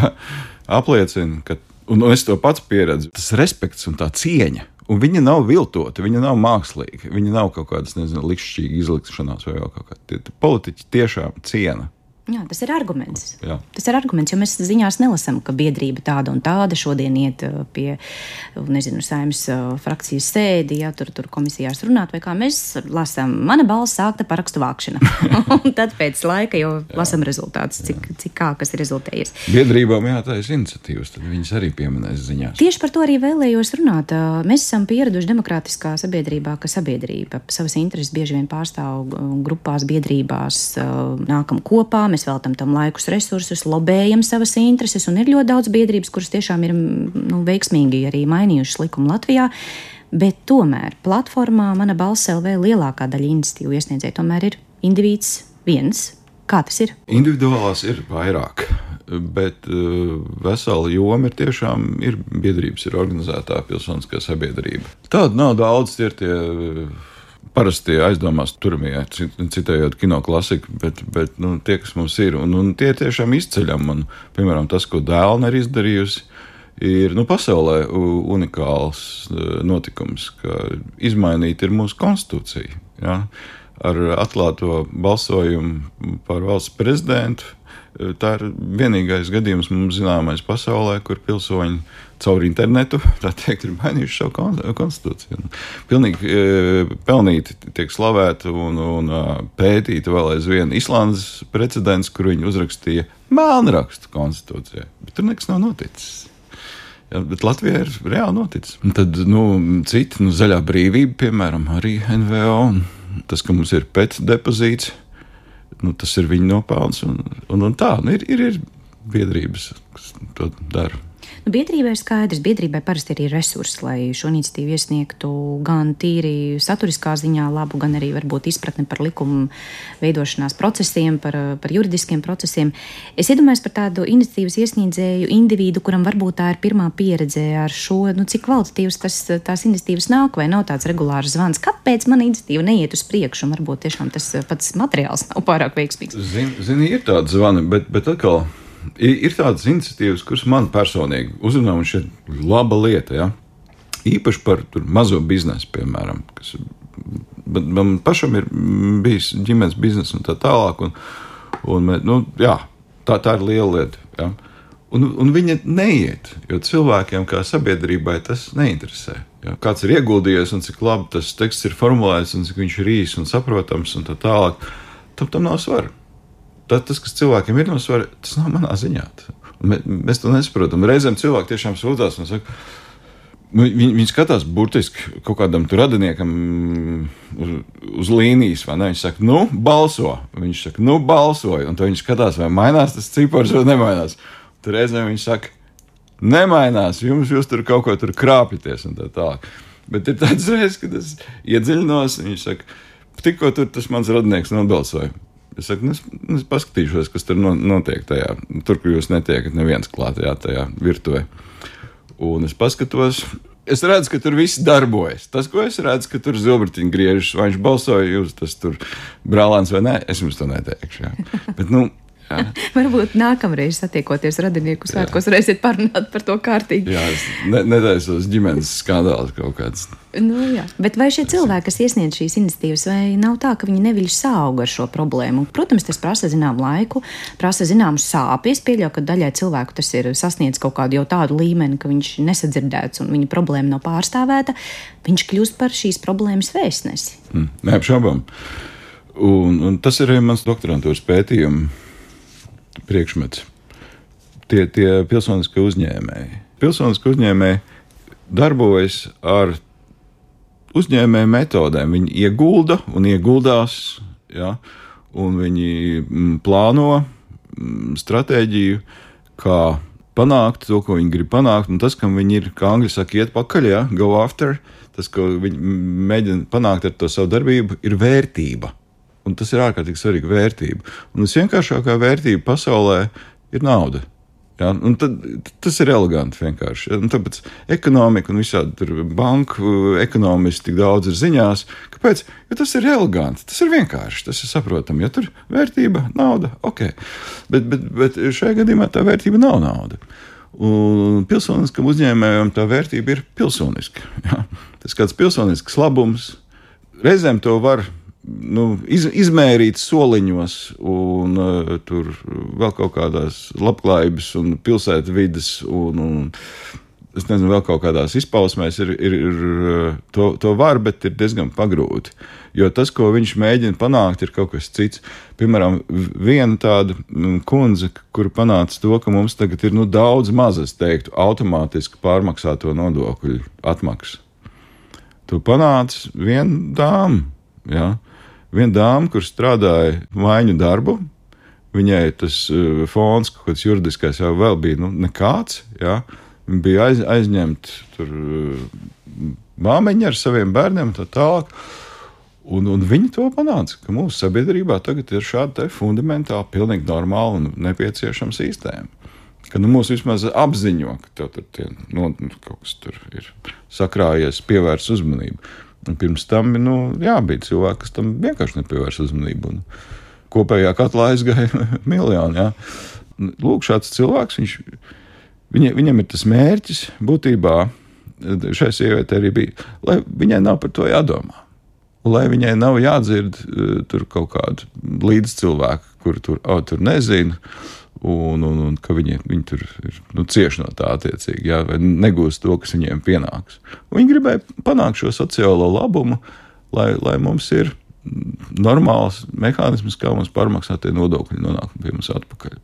apliecina, ka un es to pats pieredzu. Tas respekts un tā cieņa, un viņa nav viltota, viņa nav mākslīga, viņa nav kaut kādas, likšķīgi izlikšanās vai vēl kaut kā. Tie politiķi tiešām ciena. Jā, tas ir arguments. Jā. Tas ir arguments, jo mēs ziņās nelasām, ka biedrība tāda un tāda šodien iet pie, Saeimas frakcijas sēdi, tur komisijās runāt, vai kā mēs lasām, mana balss sākta parakstu vākšana. Un tad pēc laika jau lasām rezultātus, cik kas ir rezultējies. Biedrībām jātaisa iniciatīvas, tad viņas arī pieminēs ziņās. Tieši par to arī vēlējos runāt. Mēs esam pieraduši demokrātiskā sabiedrībā, ka sabiedrība savas intereses bieži vien pārstāv grupās, biedrībās, nākam kopā. Mēs veltam tam laikus, resursus, lobējam savas intereses, un ir ļoti daudz biedrības, kuras tiešām ir veiksmīgi arī mainījušas likumu Latvijā. Bet tomēr platformā Mana balss LV lielākā daļa iniciatīvu iesniedzēju tomēr ir indivīds viens. Kā tas ir? Individuālās ir vairāk, bet vesela joma ir biedrības, ir organizētā pilsoniskā sabiedrība. Tāda nav daudz, tie ir tie parasti aizdomās turamie, citējot kino klasiku, bet tie, kas mums ir, un tie tiešām izceļam. Un, piemēram, tas, ko Dēlne ir izdarījusi, ir pasaulē unikāls notikums, ka izmainīta ir mūsu konstitūcija. Ja? Ar atklāto balsojumu par valsts prezidentu. Tā ir vienīgais gadījums mums zināmais pasaulē, kur pilsoņi caur internetu, tā teikt, ir mainījuši savu konstitūciju. Pilnīgi pelnīti tiek slavēta un pētīta vēl aizvien Islandes precedents, kur viņi uzrakstīja melnrakstu konstitūcijai, bet tur nekas nav noticis. Ja, bet Latvijā ir reāli noticis. Un tad, citi, Zaļā brīvība, piemēram, arī NVO, un tas, ka mums ir pēc depozīts, tas ir viņa nopelns, un tā, ir biedrības, kas to dara. Biedrībai ir skaidrs, biedrībai parasti ir resursi, lai šo iniciatīvu iesniegtu gan tīri saturiskā ziņā labu, gan arī varbūt izpratni par likumu veidošanās procesiem, par juridiskiem procesiem. Es iedomājos par tādu iniciatīvas iesniedzēju individu, kuram varbūt tā ir pirmā pieredze ar šo, cik kvalitatīvas tās iniciatīvas nāk, vai nav tāds regulārs zvans. Kāpēc mana iniciatīva neiet uz priekšu, un varbūt tiešām tas pats materiāls nav pārāk veiksmīgs? Zini, ir tādi zvani, bet atkal ir tādas iniciatīvas, kuras man personīgi uzrunā, un šeit laba lieta, ja? Īpaši par mazo biznesu, piemēram, kas man pašam ir bijis ģimenes biznes un tā tālāk, tā ir liela lieta, ja? Un viņa neiet, jo cilvēkiem kā sabiedrībai tas neinteresē. Ja? Kāds ir ieguldījies un cik labi tas teksts ir formulēts un cik viņš ir īs un saprotams un tā tālāk, tam nav svara. Tas, kas cilvēkiem ir no svara, tas nav manā ziņā. Mēs to nesaprotam. Reizēm cilvēki tiešām sūdzās un saka, viņi skatās burtiski kaut kādam radiniekam uz līnijas, vai ne? Viņš saka, balso. Viņš saka, balsoju. Un tad viņš skatās, vai mainās tas cipars vai nemainās. Tur reizēm viņš saka, nemainās, jūs tur kaut ko tur krāpjaties un tā tālāk. Bet ir tāds reizes, kad es iedziļinos, viņš saka, tikko tas mans radinieks nobalsoja. Es saku, es paskatīšos, kas tur notiek tajā, tur, kur jūs netiekat neviens klāt tajā virtuvē. Un es paskatos, es redzu, ka tur viss darbojas. Tas, ko es redzu, ka tur zilbritiņi griežas, vai viņš balsoja, jūs tas tur brālēns vai nē, es jums to neteikšu. Jā. Bet, jā. Varbūt nākamreiz satiekoties radinieku svētkos, varēsiet parunāt par to kārtīgi. Jā, es netaisos ģimenes skandāls kaut kāds. Jā. Bet vai šie cilvēki, kas iesniedz šīs iniciatīvas, vai nav tā, ka viņi neviļ sauga ar šo problēmu? Protams, tas prasa zināmu laiku, prasa zināmu sāpes. Pieļauju, ka daļai cilvēku tas ir sasniedz kaut kādu jau tādu līmeni, ka viņš nesadzirdēts un viņa problēma nav pārstāvēta. Viņš kļūst par šīs problēmas vēstnesi. Neapšaubām. Un tas ir arī mans doktorantūras pētījuma priekšmets. Tie pilsoniskie uzņēmēji. Pilsoniskie uzņēmēji darbojas ar uzņēmēju metodēm. Viņi iegulda un ieguldās, ja, un viņi plāno stratēģiju, kā panākt to, ko viņi grib panākt, un tas, kam viņi ir, kā angļu saka, iet pakaļ, ja, go after, tas, ko viņi mēģina panākt ar to savu darbību, ir vērtība. Un tas ir ārkārtīgi svarīga vērtība. Un visvienkāršākā vērtība pasaulē ir nauda. Ja? Un tas ir eleganti vienkārši. Ja? Un tāpēc ekonomika un visādi tur banku ekonomisti tik daudz ir ziņās. Kāpēc? Jo tas ir eleganti, tas ir vienkārši, tas ir saprotami. Ja tur vērtība, nauda, ok. Bet šajā gadījumā tā vērtība nav nauda. Un pilsoniskam uzņēmējam tā vērtība ir pilsoniska. Ja? Tas kāds pilsonisks labums, reizēm to var izmērīt soliņos un tur vēl kaut kādās labklājības un pilsētvides un es nezinu, vēl kaut kādās izpausmēs to var, bet ir diezgan pagrūti. Jo tas, ko viņš mēģina panākt, ir kaut kas cits. Piemēram, viena tāda kundze, kur panāca to, ka mums tagad ir daudz maz, es teiktu, automātiski pārmaksāto nodokļu atmaksu. To panāca viena dāma, jā. Viena dāma, kur strādāja maiņu darbu, viņai tas fons, kaut kāds juridiskais jau vēl bija nekāds, jā. Viņa bija aizņemta tur māmiņa ar saviem bērniem un tā tālāk. Un viņi to panāca, ka mūsu sabiedrībā tagad ir šāda fundamentāli, pilnīgi normāla un nepieciešama sistēma. Ka mūs vismaz apziņo, ka tur kaut kas tur ir sakrājies, pievērs uzmanību. Un pirms tam bija cilvēki, kas tam vienkārši nepievērs uzmanību. Un kopējā katlā aizgāja miljoni. Ja. Lūk, šāds cilvēks, viņam ir tas mērķis būtībā, šai sievietei arī bija, lai viņai nav par to jādomā. Un lai viņai nav jādzird tur kaut kādu līdzcilvēku, kur tur nezinu, un ka viņi tur ir cieši no tā attiecīgi, jā, vai negūst to, kas viņiem pienāks. Un viņi gribēja panākt šo sociālo labumu, lai mums ir normāls mehānisms, kā mums pārmaksāt tie nodokļi nonāk pie mums atpakaļ.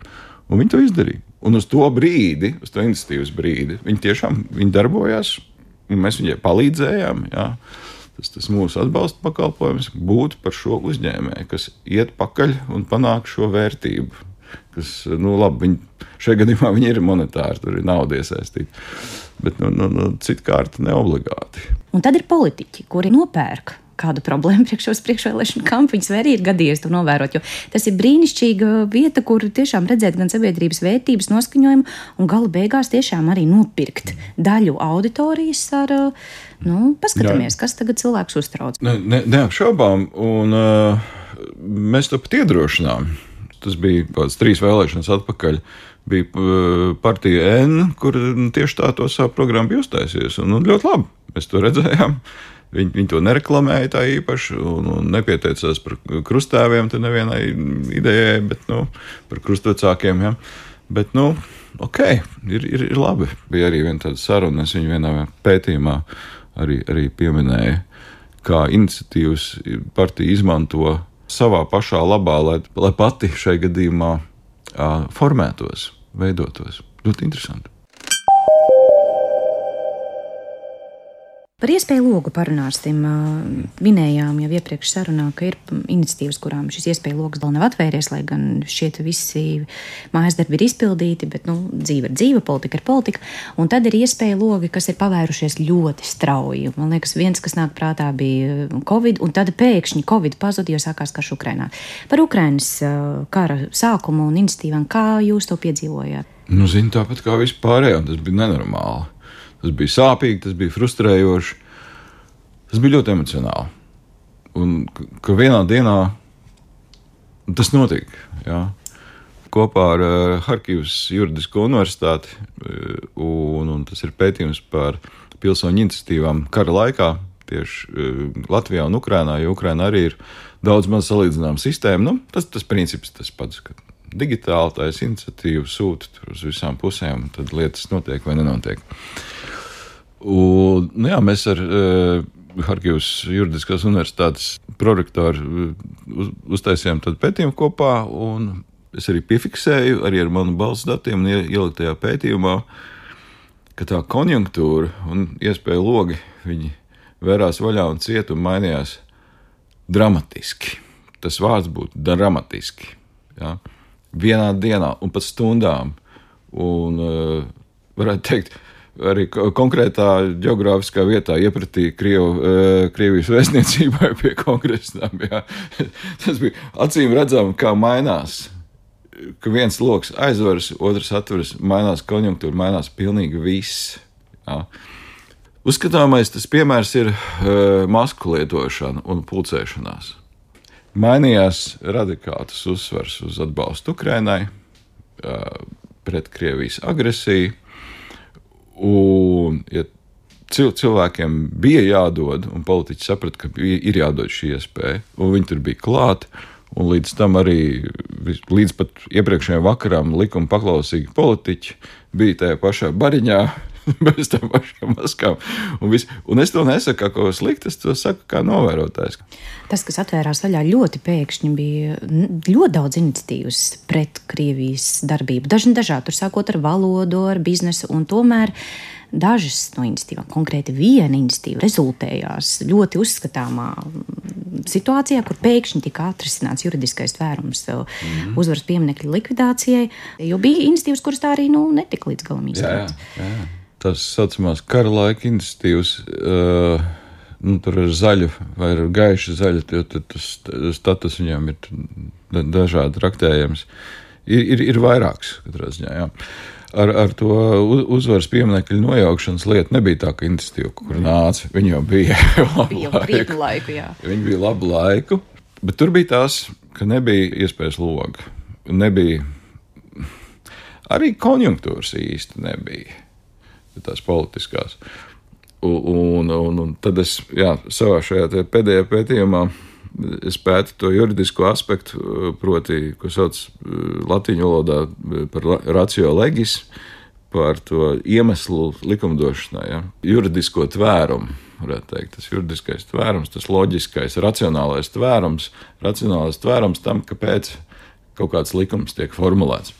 Un viņi to izdarīja. Un uz to brīdi, uz to iniciatīvas brīdi, viņi darbojās, un mēs viņai palīdzējām, jā. Tas mūsu atbalsta pakalpojums būtu par šo uzņēmēju, kas iet pakaļ un panāk šo vērtību. Kas, labi, šajā gadījumā viņi ir monetāri, tur ir nauda iesaistīta, bet citkārt neobligāti. Un tad ir politiķi, kuri nopērk kādu problēmu priekšvēlēšanu kampaņas, vai arī ir gadījies to novērot, jo tas ir brīnišķīga vieta, kur tiešām redzēt gan sabiedrības vērtības noskaņojumu un gala beigās tiešām arī nopirkt daļu auditorijas ar, paskatāmies, kas tagad cilvēks uztrauc. Neapšaubām, un mēs to pat iedrošinām. Tas bija kāds 3 vēlēšanas atpakaļ. Bija partija N, kur tieši tā to savu programmu bija uztaisījusi. Un ļoti labi, mēs to redzējām. Viņi to nereklamēja tā īpaši un nepieteicās par krustāviem, te nevienai idejai, bet par krustvecākiem. Ja. Bet, ok, ir labi. Bija arī viena tāda saruna, es viņu vienā pētījumā arī pieminēju, kā iniciatīvas partija izmanto savā pašā labā, lai pati šai gadījumā formētos, veidotos. Ļoti interesanti. Par iespēju logu parunāsim. Minējām jau iepriekš sarunā, ka ir iniciatīvas, kurām šis iespēju logs vēl nav atvēries, lai gan šķiet visi mājas darbi ir izpildīti, bet dzīve ir dzīve, politika ir politika. Un tad ir iespēju logi, kas ir pavērušies ļoti strauji. Man liekas, viens, kas nāk prātā, bija Covid, un tad pēkšņi Covid pazuda, jo sākās karš Ukrainā. Par Ukrainas kara sākumu un iniciatīvām, kā jūs to piedzīvojāt? Zinu, tāpat kā vispārējā, tas bija nenormāli. Tas bija sāpīgi, tas bija frustrējoši, tas bija ļoti emocionāli. Un ka vienā dienā tas notika. Jā. Kopā ar Harkivas juridisko universitāti, un tas ir pētījums par pilsoņu iniciatīvām kara laikā, tieši Latvijā un Ukrainā, jo Ukrainā arī ir daudz maz salīdzināma sistēma. Tas princips tas pats, ka digitāli tās iniciatīvas sūta uz visām pusēm, un tad lietas notiek vai nenotiek. Un, mēs ar Harkivas juridiskās universitātes prorektoru uztaisījām tādu pētījumu kopā, un es arī piefiksēju, arī ar manu balss datiem un ieliku tajā pētījumā, ka tā konjunktūra un iespēja logi, viņi vērās vaļā un ciet un mainījās dramatiski. Tas vārds būtu dramatiski. Ja? Vienā dienā un pat stundām. Un varētu teikt, arī konkrētā geogrāfiskā vietā iepratī Krievijas vēstniecībai pie kongresām. Jā. Tas bija acīm redzami, kā mainās. Ka viens loks aizveras, otrs atveras, mainās konjunktūra, mainās pilnīgi viss. Jā. Uzskatāmais tas piemērs ir masku lietošana un pulcēšanās. Mainījās radikāls uzsvars uz atbalstu Ukrainai, pret Krievijas agresiju. Un, ja cilvēkiem bija jādod, un politiķi saprata, ka ir jādod šī iespēja, un viņi tur bija klāt, un līdz tam arī, līdz pat iepriekšējiem vakaram likuma paklausīgi politiķi bija tajā pašā bariņā, bez tām pašām maskām. Un es to nesaku kā ko sliktu, es to saku kā novērotājs. Tas, kas atvērās vaļā ļoti pēkšņi, bija ļoti daudz iniciatīvas pret Krievijas darbību. Dažādi, tur sākot ar valodu, ar biznesu, un tomēr dažas no iniciatīvām, konkrēti viena iniciatīva, rezultējās ļoti uzskatāmā situācijā, kur pēkšņi tika atrisināts juridiskais tvērums uzvaras pieminekļa likvidācijai, jo bija iniciatīvas, kuras tā arī netika līdz galam īstenotas. Jā. tās saucamās kara laika iniciatīvas, tur ar zaļu vai ar gaišu zaļu, jo tas status viņām ir dažādi traktējams. Ir vairāks katrā ziņā, jā. Ar to uzvaras pieminekļu nojaukšanas lietu nebija tā, ka iniciatīva, kur nāca, viņi jau bija krietnu laiku, jā. Viņi bija labu laiku, bet tur bija tās, ka nebija iespējas loga. Nebija, arī konjunktūras īsti nebija, tās politiskās. Un tad es, savā šajā pēdējā pētījumā es pētu to juridisko aspektu, proti, ko sauc latīņu valodā par ratio legis, par to iemeslu likumdošanā, ja? Juridisko tvērumu, varētu teikt, tas juridiskais tvērums, tas loģiskais, racionālais tvērums tam, kāpēc kaut kāds likums tiek formulēts.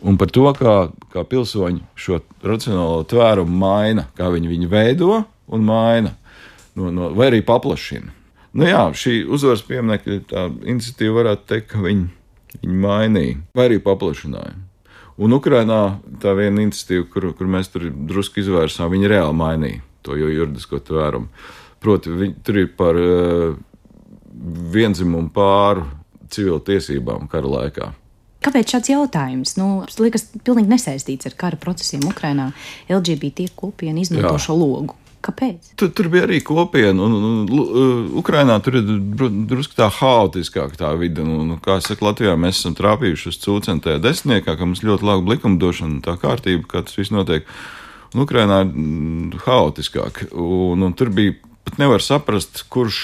Un par to, kā pilsoņi šo racionālo tvērumu maina, kā viņi veido un maina, vai arī paplašina. Šī uzvaras pieminekļa tā iniciatīva varētu teikt, ka viņi mainīja, vai arī paplašināja. Un Ukrainā tā viena iniciatīva, kur mēs tur drusku izvērsām, viņi reāli mainīja to juridisko tvērumu. Proti, tur ir par viendzimumu pāru civilu tiesībām kara laikā. Kāpēc šāds jautājums? Liekas, pilnīgi nesaistīts ar kara procesiem Ukrainā. LGBT kopiena izmanto šo logu. Kāpēc? Tur bija arī kopiena, un Ukrainā tur ir drusku tā haotiskāk tā vide. Kā es saku, Latvijā mēs esam trāpījuši uz cūcentajā desmitniekā, ka mums ļoti laba likumdošana, tā kārtība, kā tas viss notiek. Un Ukrainā ir haotiskāk, un tur bija pat nevar saprast, kurš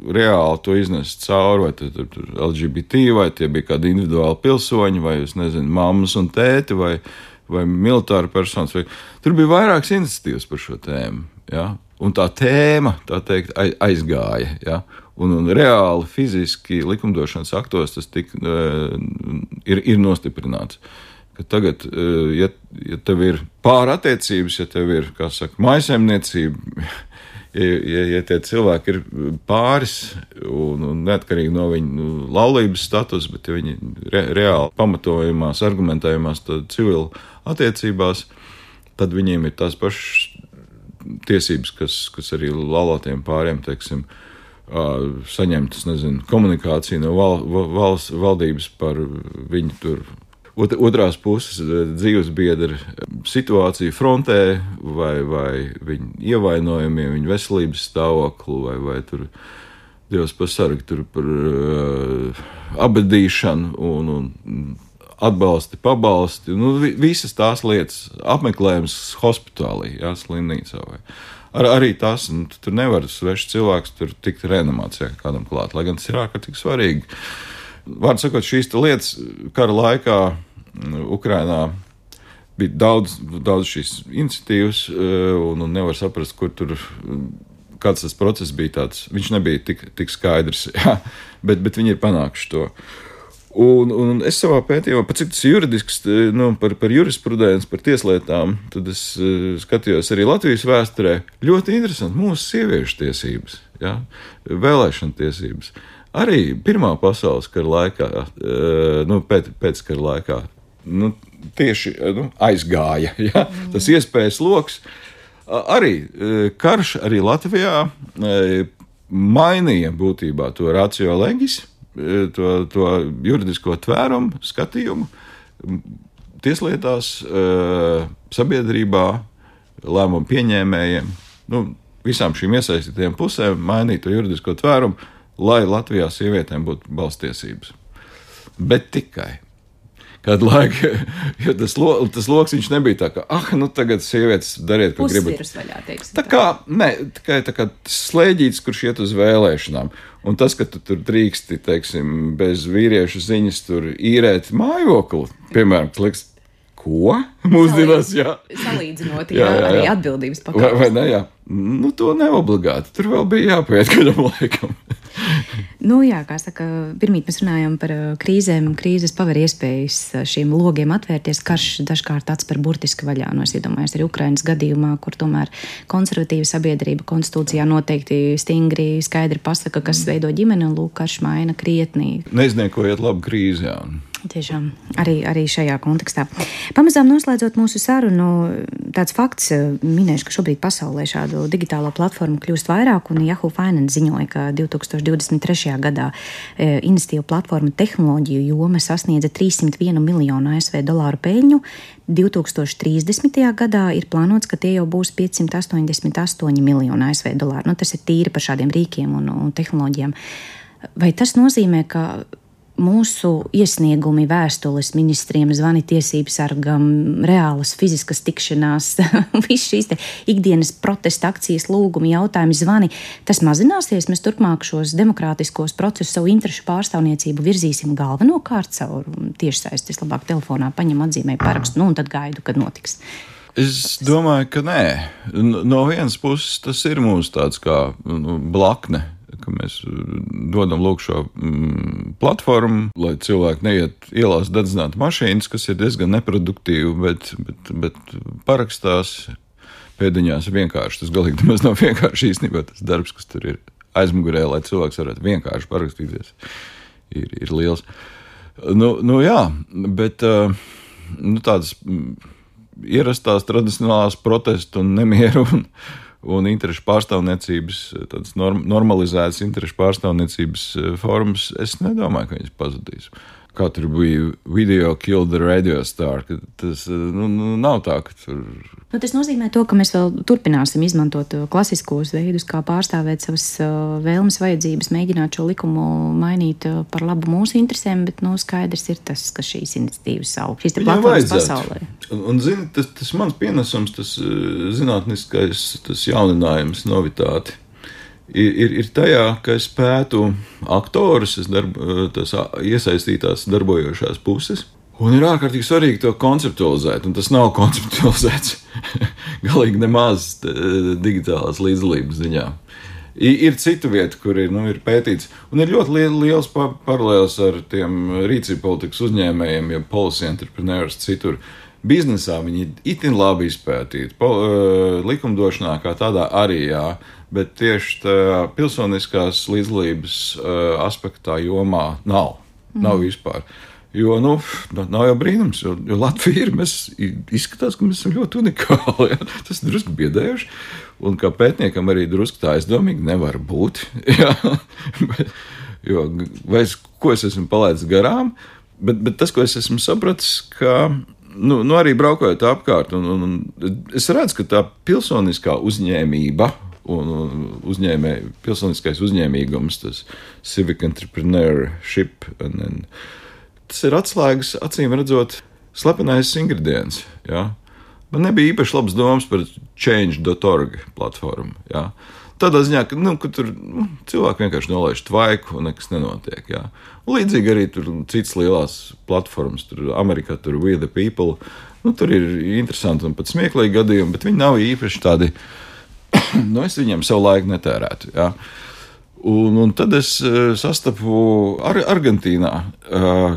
reāli to iznes cauri, vai tur LGBT, vai tie bija kādi individuāli pilsoņi, vai, es nezinu, mammas un tēti, vai militāri personas. Tur bija vairākas iniciatīvas par šo tēmu, ja? Un tā tēma, tā teikt, aizgāja, ja? Un reāli fiziski likumdošanas aktos tas ir nostiprināts. Ka tagad, ja tev ir pārattiecības, ja tev ir, kā saka, mājsaimniecība, ja tie cilvēki ir pāris un neatkarīgi no viņu laulības status, bet ja viņi reāli pamatojumās, argumentējumās civilu attiecībās, tad viņiem ir tās pašas tiesības, kas arī laulātiem pāriem, teiksim, saņemt, komunikāciju no valsts valdības par viņu tur otrās puses dzīvesbiedra situāciju frontē, vai viņu ievainojumiem, viņu veselības stāvokli, vai tur Dievs pasargi tur par abadīšanu un atbalsti, pabalsti, visas tās lietas, apmeklējums hospitālī, slimnīcā vai. Arī tas, tur nevar svešs cilvēks tur tikt reanimācijā kādam klāt, lai gan tas ir ārkārtīgi svarīgi. Vārdu sakot, šīs lietas kara laikā Ukrainā bija daudz šīs iniciatīvas, un nevar saprast, kur tur, kāds tas process bija tāds. Viņš nebija tik skaidrs, bet viņi ir panākuši to. Un es savā pētījumā, pat cik tas juridisks, par jurisprudenci, par tieslietām, tad es skatījos arī Latvijas vēsturē. Ļoti interesanti mūsu sieviešu tiesības, vēlēšana tiesības. Arī Pirmā pasaules kara laikā, pēc kara laikā, tieši aizgāja, tas iespējas loks. Arī karš arī Latvijā mainīja būtībā to ratio legis, to juridisko tvērumu, skatījumu tieslietās, sabiedrībā, lēmumu pieņēmējiem, visām šīm iesaistītajām pusēm mainīt to juridisko tvērumu, lai Latvijā sievietēm būtu balsstiesības. Bet tikai kādu laiku, jo tas loks viņš nebija tā, ka, tagad sievietes dariet, ko gribat. Pusvirs vaļā, teiksim. Tā kā slēģīts, kurš iet uz vēlēšanām. Un tas, ka tu tur drīksti, teiksim, bez vīriešu ziņas tur īrēt mājokli, piemēram, liekas, ko? Mūsdienās, Salīdzinot, arī atbildības pakāpes. Vai ne, to neobligāti. Tur vēl bija jāpaiet kādam laikam. Kā saka, pirmīt mēs runājam par krīzēm. Krīzes paver iespējas šiem logiem atvērties. Karš dažkārt atspēr burtiski vaļā. Es iedomājos arī Ukrainas gadījumā, kur tomēr konservatīva sabiedrība konstitūcijā noteikti stingri skaidri pasaka, kas veido ģimeni, un karš maina krietnī. Neizniekojiet labu krīzi, Tiešām arī šajā kontekstā. Pamazām noslēdzot mūsu sarunu, tāds fakts minēšu, ka šobrīd pasaulē šādu digitālo platformu kļūst vairāk, un Yahoo Finance ziņoja, ka 2023. gadā investīvu platformu tehnoloģiju joma sasniedza 301 miljonu ASV dolāru peļņu. 2030. gadā ir plānots, ka tie jau būs 588 miljoni ASV dolāru. Tas ir tīri par šādiem rīkiem un tehnoloģijām. Vai tas nozīmē, ka mūsu iesniegumi, vēstules ministriem, zvani tiesību sargam, reālas fiziskas tikšanās, viss šīs ikdienas protesta akcijas, lūgumi, jautājumi, zvani, tas mazināsies? Mēs turpmāk šos demokrātiskos procesus, savu interešu pārstāvniecību virzīsim galvenokārt caur tiešsaistes, labāk telefonā paņem, atzīmē, parakstu, un tad gaidu, kad notiks. Es domāju, ka nē. No vienas puses tas ir mūsu tāds kā blakne, ka mēs dodam lūk šo platformu, lai cilvēki neiet ielās dedzināt mašīnas, kas ir diezgan neproduktīvi, bet parakstās pēdiņās vienkārši. Tas galīgi nemaz nav vienkārši īstenībā tas darbs, kas tur ir aizmugurē, lai cilvēks varētu vienkārši parakstīties, ir liels. Jā, bet tādas ierastās tradicionālās protestu un nemieru un interešu pārstāvniecības, tādas normalizētas interešu pārstāvniecības formas, es nedomāju, ka viņas pazudīs. Kā tur bija video kill the radio star, ka tas nav tā, ka tur... Tas nozīmē to, ka mēs vēl turpināsim izmantot klasiskos veidus, kā pārstāvēt savas vēlmes, vajadzības, mēģināt šo likumu mainīt par labu mūsu interesēm, bet skaidrs ir tas, ka šīs iniciatīvas aug. Šīs te platformas pasaulē. Un zini, tas mans pienesums, tas zinātniskais, tas jauninājums, novitāte, ir tajā, ka es pētu aktorus, tās iesaistītās darbojošās puses, un ir ārkārtīgi svarīgi to konceptualizēt, un tas nav konceptualizēts galīgi nemaz digitālās līdzdalības ziņā. Ir citu vietu, kur ir pētīts, un ir ļoti liels paralēls ar tiem rīcību politikas uzņēmējiem, ja policy entrepreneurs citur. Biznesā viņi itin labi izpētīti, likumdošanā kā tādā arī, jā, bet tieši tā pilsoniskās līdzdalības aspektā jomā nav vispār. Jo, nav jau brīnums, jo Latvija mēs izskatās, ka mēs esam ļoti unikāli, jā. Tas ir drusku biedējuši, un kā pētniekam arī drusku tā aizdomīgi nevar būt, jā. Ko es esmu palaidis garām, bet tas, ko es esmu sapratis, ka arī braukojot apkārt, un es redzu, ka tā pilsoniskā uzņēmība un pilsoniskais uzņēmīgums, tas civic entrepreneurship, tas ir atslēgas, acīm redzot, slepenais ingredients. Ja? Man nebija īpaši labas domas par change.org platformu. Ja? Tādā ziņā, ka tur cilvēki vienkārši nolaiž tvaiku un nekas nenotiek. Ja? Un līdzīgi arī tur citas lielās platformas, tur Amerikā, tur We the People, tur ir interesanti un pat smieklīgi gadījumi, bet viņi nav īpaši tādi, es viņiem savu laiku netērētu. Ja? Un tad es sastapu Argentīnā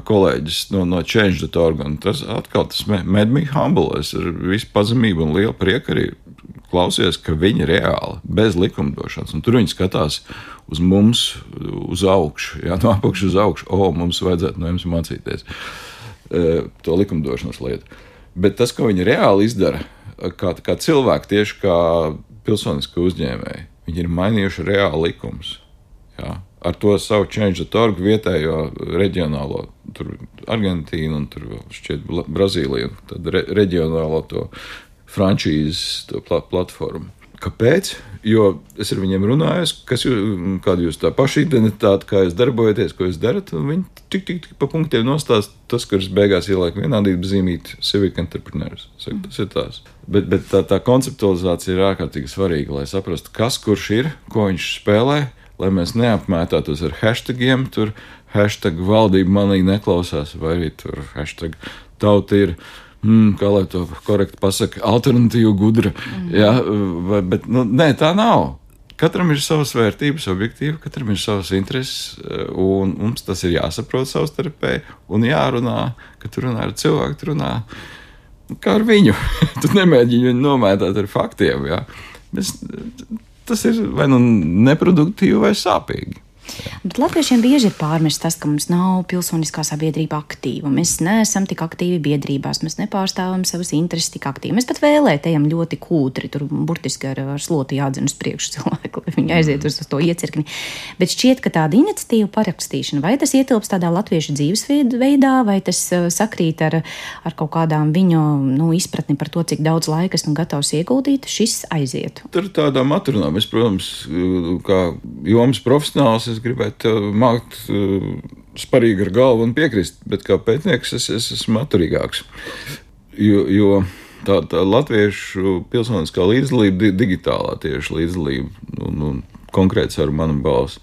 kolēģis no Change.org, un tas atkal made me humble. Es ar visu pazemību un lielu prieku arī klausies, ka viņi reāli, bez likumdošanas, un tur viņi skatās uz mums, uz augšu, jā, no apakšu uz augšu, mums vajadzētu no jums mācīties to likumdošanas lietu. Bet tas, ko viņi reāli izdara, kā cilvēki, tieši kā pilsoniski uzņēmēji, viņi ir mainījuši reāli likumus. Jā, ar to savu Change.org vietējo reģionālo, tur Argentīnu un tur šķiet Brazīliju, tad reģionālo to frančīzes, to platformu. Kāpēc? Jo es ar viņiem runāju, kāda jūs tā paša identitāte, kā jūs darbojaties, ko jūs darat, un viņi tik pa punktiem nostāst tas, kuras beigās ieliek vienādības zīmīt civic entrepreneurs. Saku, tas ir tās. Bet tā konceptualizācija ir ārkārtīgi svarīga, lai saprastu, kas kurš ir, ko viņš spēlē, lai mēs neapmētātos ar hashtagiem, tur hashtag valdība manī neklausās, vai arī tur hashtag tauta ir, kā lai to korekti pasaka, alternatīva gudra. Jā, bet nē, tā nav. Katram ir savas vērtības, objektīvi, katram ir savas intereses, un mums tas ir jāsaprot savstarpēji, un jārunā, ka tu runā ar cilvēku, tu runā kā ar viņu. Tu nemēģini viņu nomētāt ar faktiem, jā. Tas ir vai neproduktīvi vai sāpīgi. Bet latviešiem bieži ir pārmests tas, ka mums nav pilsoniskā sabiedrība aktīva. Mēs neesam tik aktīvi biedrībās, mēs nepārstāvam savas intereses tik aktīvi. Mēs pat vēlētējam ļoti kūtri, tur burtiski ar sloti jādzen uz priekšu cilvēku, lai viņi aiziet uz to iecirkni. Bet šķiet, ka tāda iniciatīva parakstīšana, vai tas ietilps tādā latviešu dzīvesveidā, vai tas sakrīt ar kaut kādām viņu izpratni par to, cik daudz laika esmu gatavs ieguldīt, šis aiziet. Tur tādām atrunām. Es, protams, kā jomas profesionāls, es gribētu mākt sparīgi ar galvu un piekrist, bet kā pētnieks es esmu atturīgāks. Jo tā latviešu pilsoniskā līdzdalība, digitālā tieši līdzdalība, un konkrēts ar manu balsu,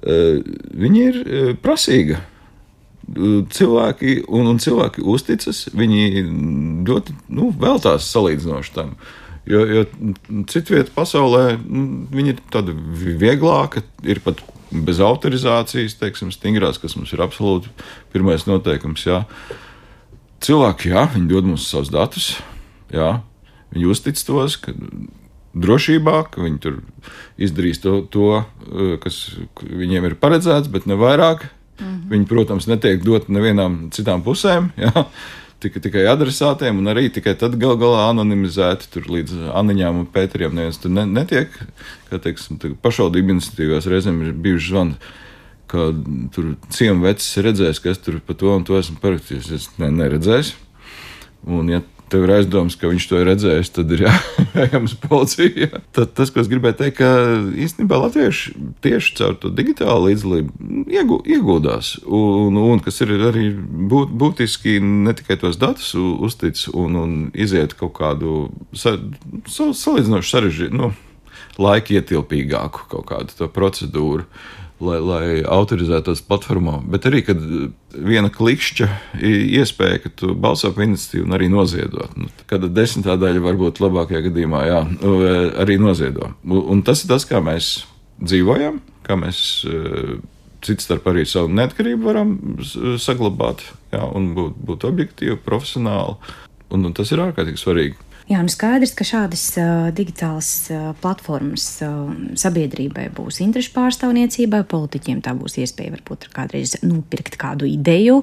viņi ir prasīga. Cilvēki uzticas, viņi ļoti veltās salīdzinoši tam. Jo citvieta pasaulē viņa ir tāda vieglāka, ir pat bez autorizācijas, teiksim, stingrās, kas mums ir absolūti pirmais noteikums. Jā. Cilvēki, viņi dod mums savus datus, viņi uztic tos, ka drošībā, ka viņi tur izdarīs to, kas viņiem ir paredzēts, bet ne vairāk. Viņi, protams, netiek dot nevienām citām pusēm, tikai adresātiem, un arī tikai tad galā anonimizēti tur līdz Aniņām un Pēteriem neviens tur netiek. Kā teiksim, pašvaldību iniciatīvās reizēm ir bijuši zvani, ka tur ciemu vecis redzēs, ka es tur pa to un to esmu parakstījis. Es neredzēs. Un ja tev ir aizdoms, ka viņš to ir redzējis, tad ir jājams policija. Tad tas, ko es gribēju teikt, ka īstenībā latvieši tieši caur to digitālu līdzdalību ieguldās. Un kas ir arī būtiski ne tikai tos datus uztic un iziet kaut kādu salīdzinoši sarežģītu, laika ietilpīgāku kaut kādu to procedūru, lai autorizētos platformā, bet arī, kad viena klikšķa iespēja, ka tu balso par iniciatīvu un arī noziedot. Kāda 10. daļa varbūt labākajā gadījumā, arī noziedo. Un tas ir tas, kā mēs dzīvojam, kā mēs cits starp arī savu neatkarību varam saglabāt, un būt objektīvi, profesionāli. Un tas ir ārkārtīgi svarīgi. Jā, skaidrs, ka šādas digitālas platformas sabiedrībai būs interešu pārstāvniecībai, politiķiem tā būs iespēja varbūt kādreiz nopirkt kādu ideju.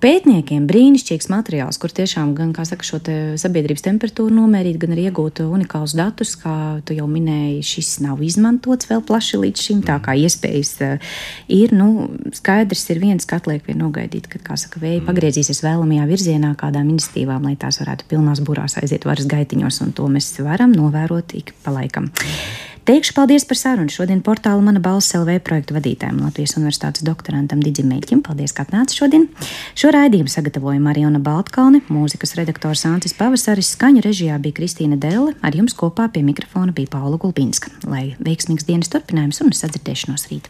Pētniekiem brīnišķīgs materiāls, kur tiešām gan, kā saka, šo te sabiedrības temperatūru nomērīt, gan arī iegūt unikālus datus, kā tu jau minēji, šis nav izmantots vēl plaši līdz šim, tā kā iespējas ir, skaidrs ir viens, ka atliek vien nogaidīt, kad, kā saka, vēji pagriezīsies vēlamajā virzienā kādām iniciatīvām, lai tās varētu pilnās burās aiziet varas gaitiņos, un to mēs varam novērot ik pa laikam. Teikšu paldies par sarunu šodien portāla Mana balss LV projektu vadītājiem Latvijas Universitātes doktorantam Didzim Meļķim. Paldies, ka atnāca šodien. Šo raidījumu sagatavoja Mariona Baltkalne, mūzikas redaktors Ancis Pavasaris, skaņu režijā bija Kristīna Delle, ar jums kopā pie mikrofona bija Paula Gulbinska. Lai veiksmīgs dienas turpinājums un sadzirdēšanos rīt.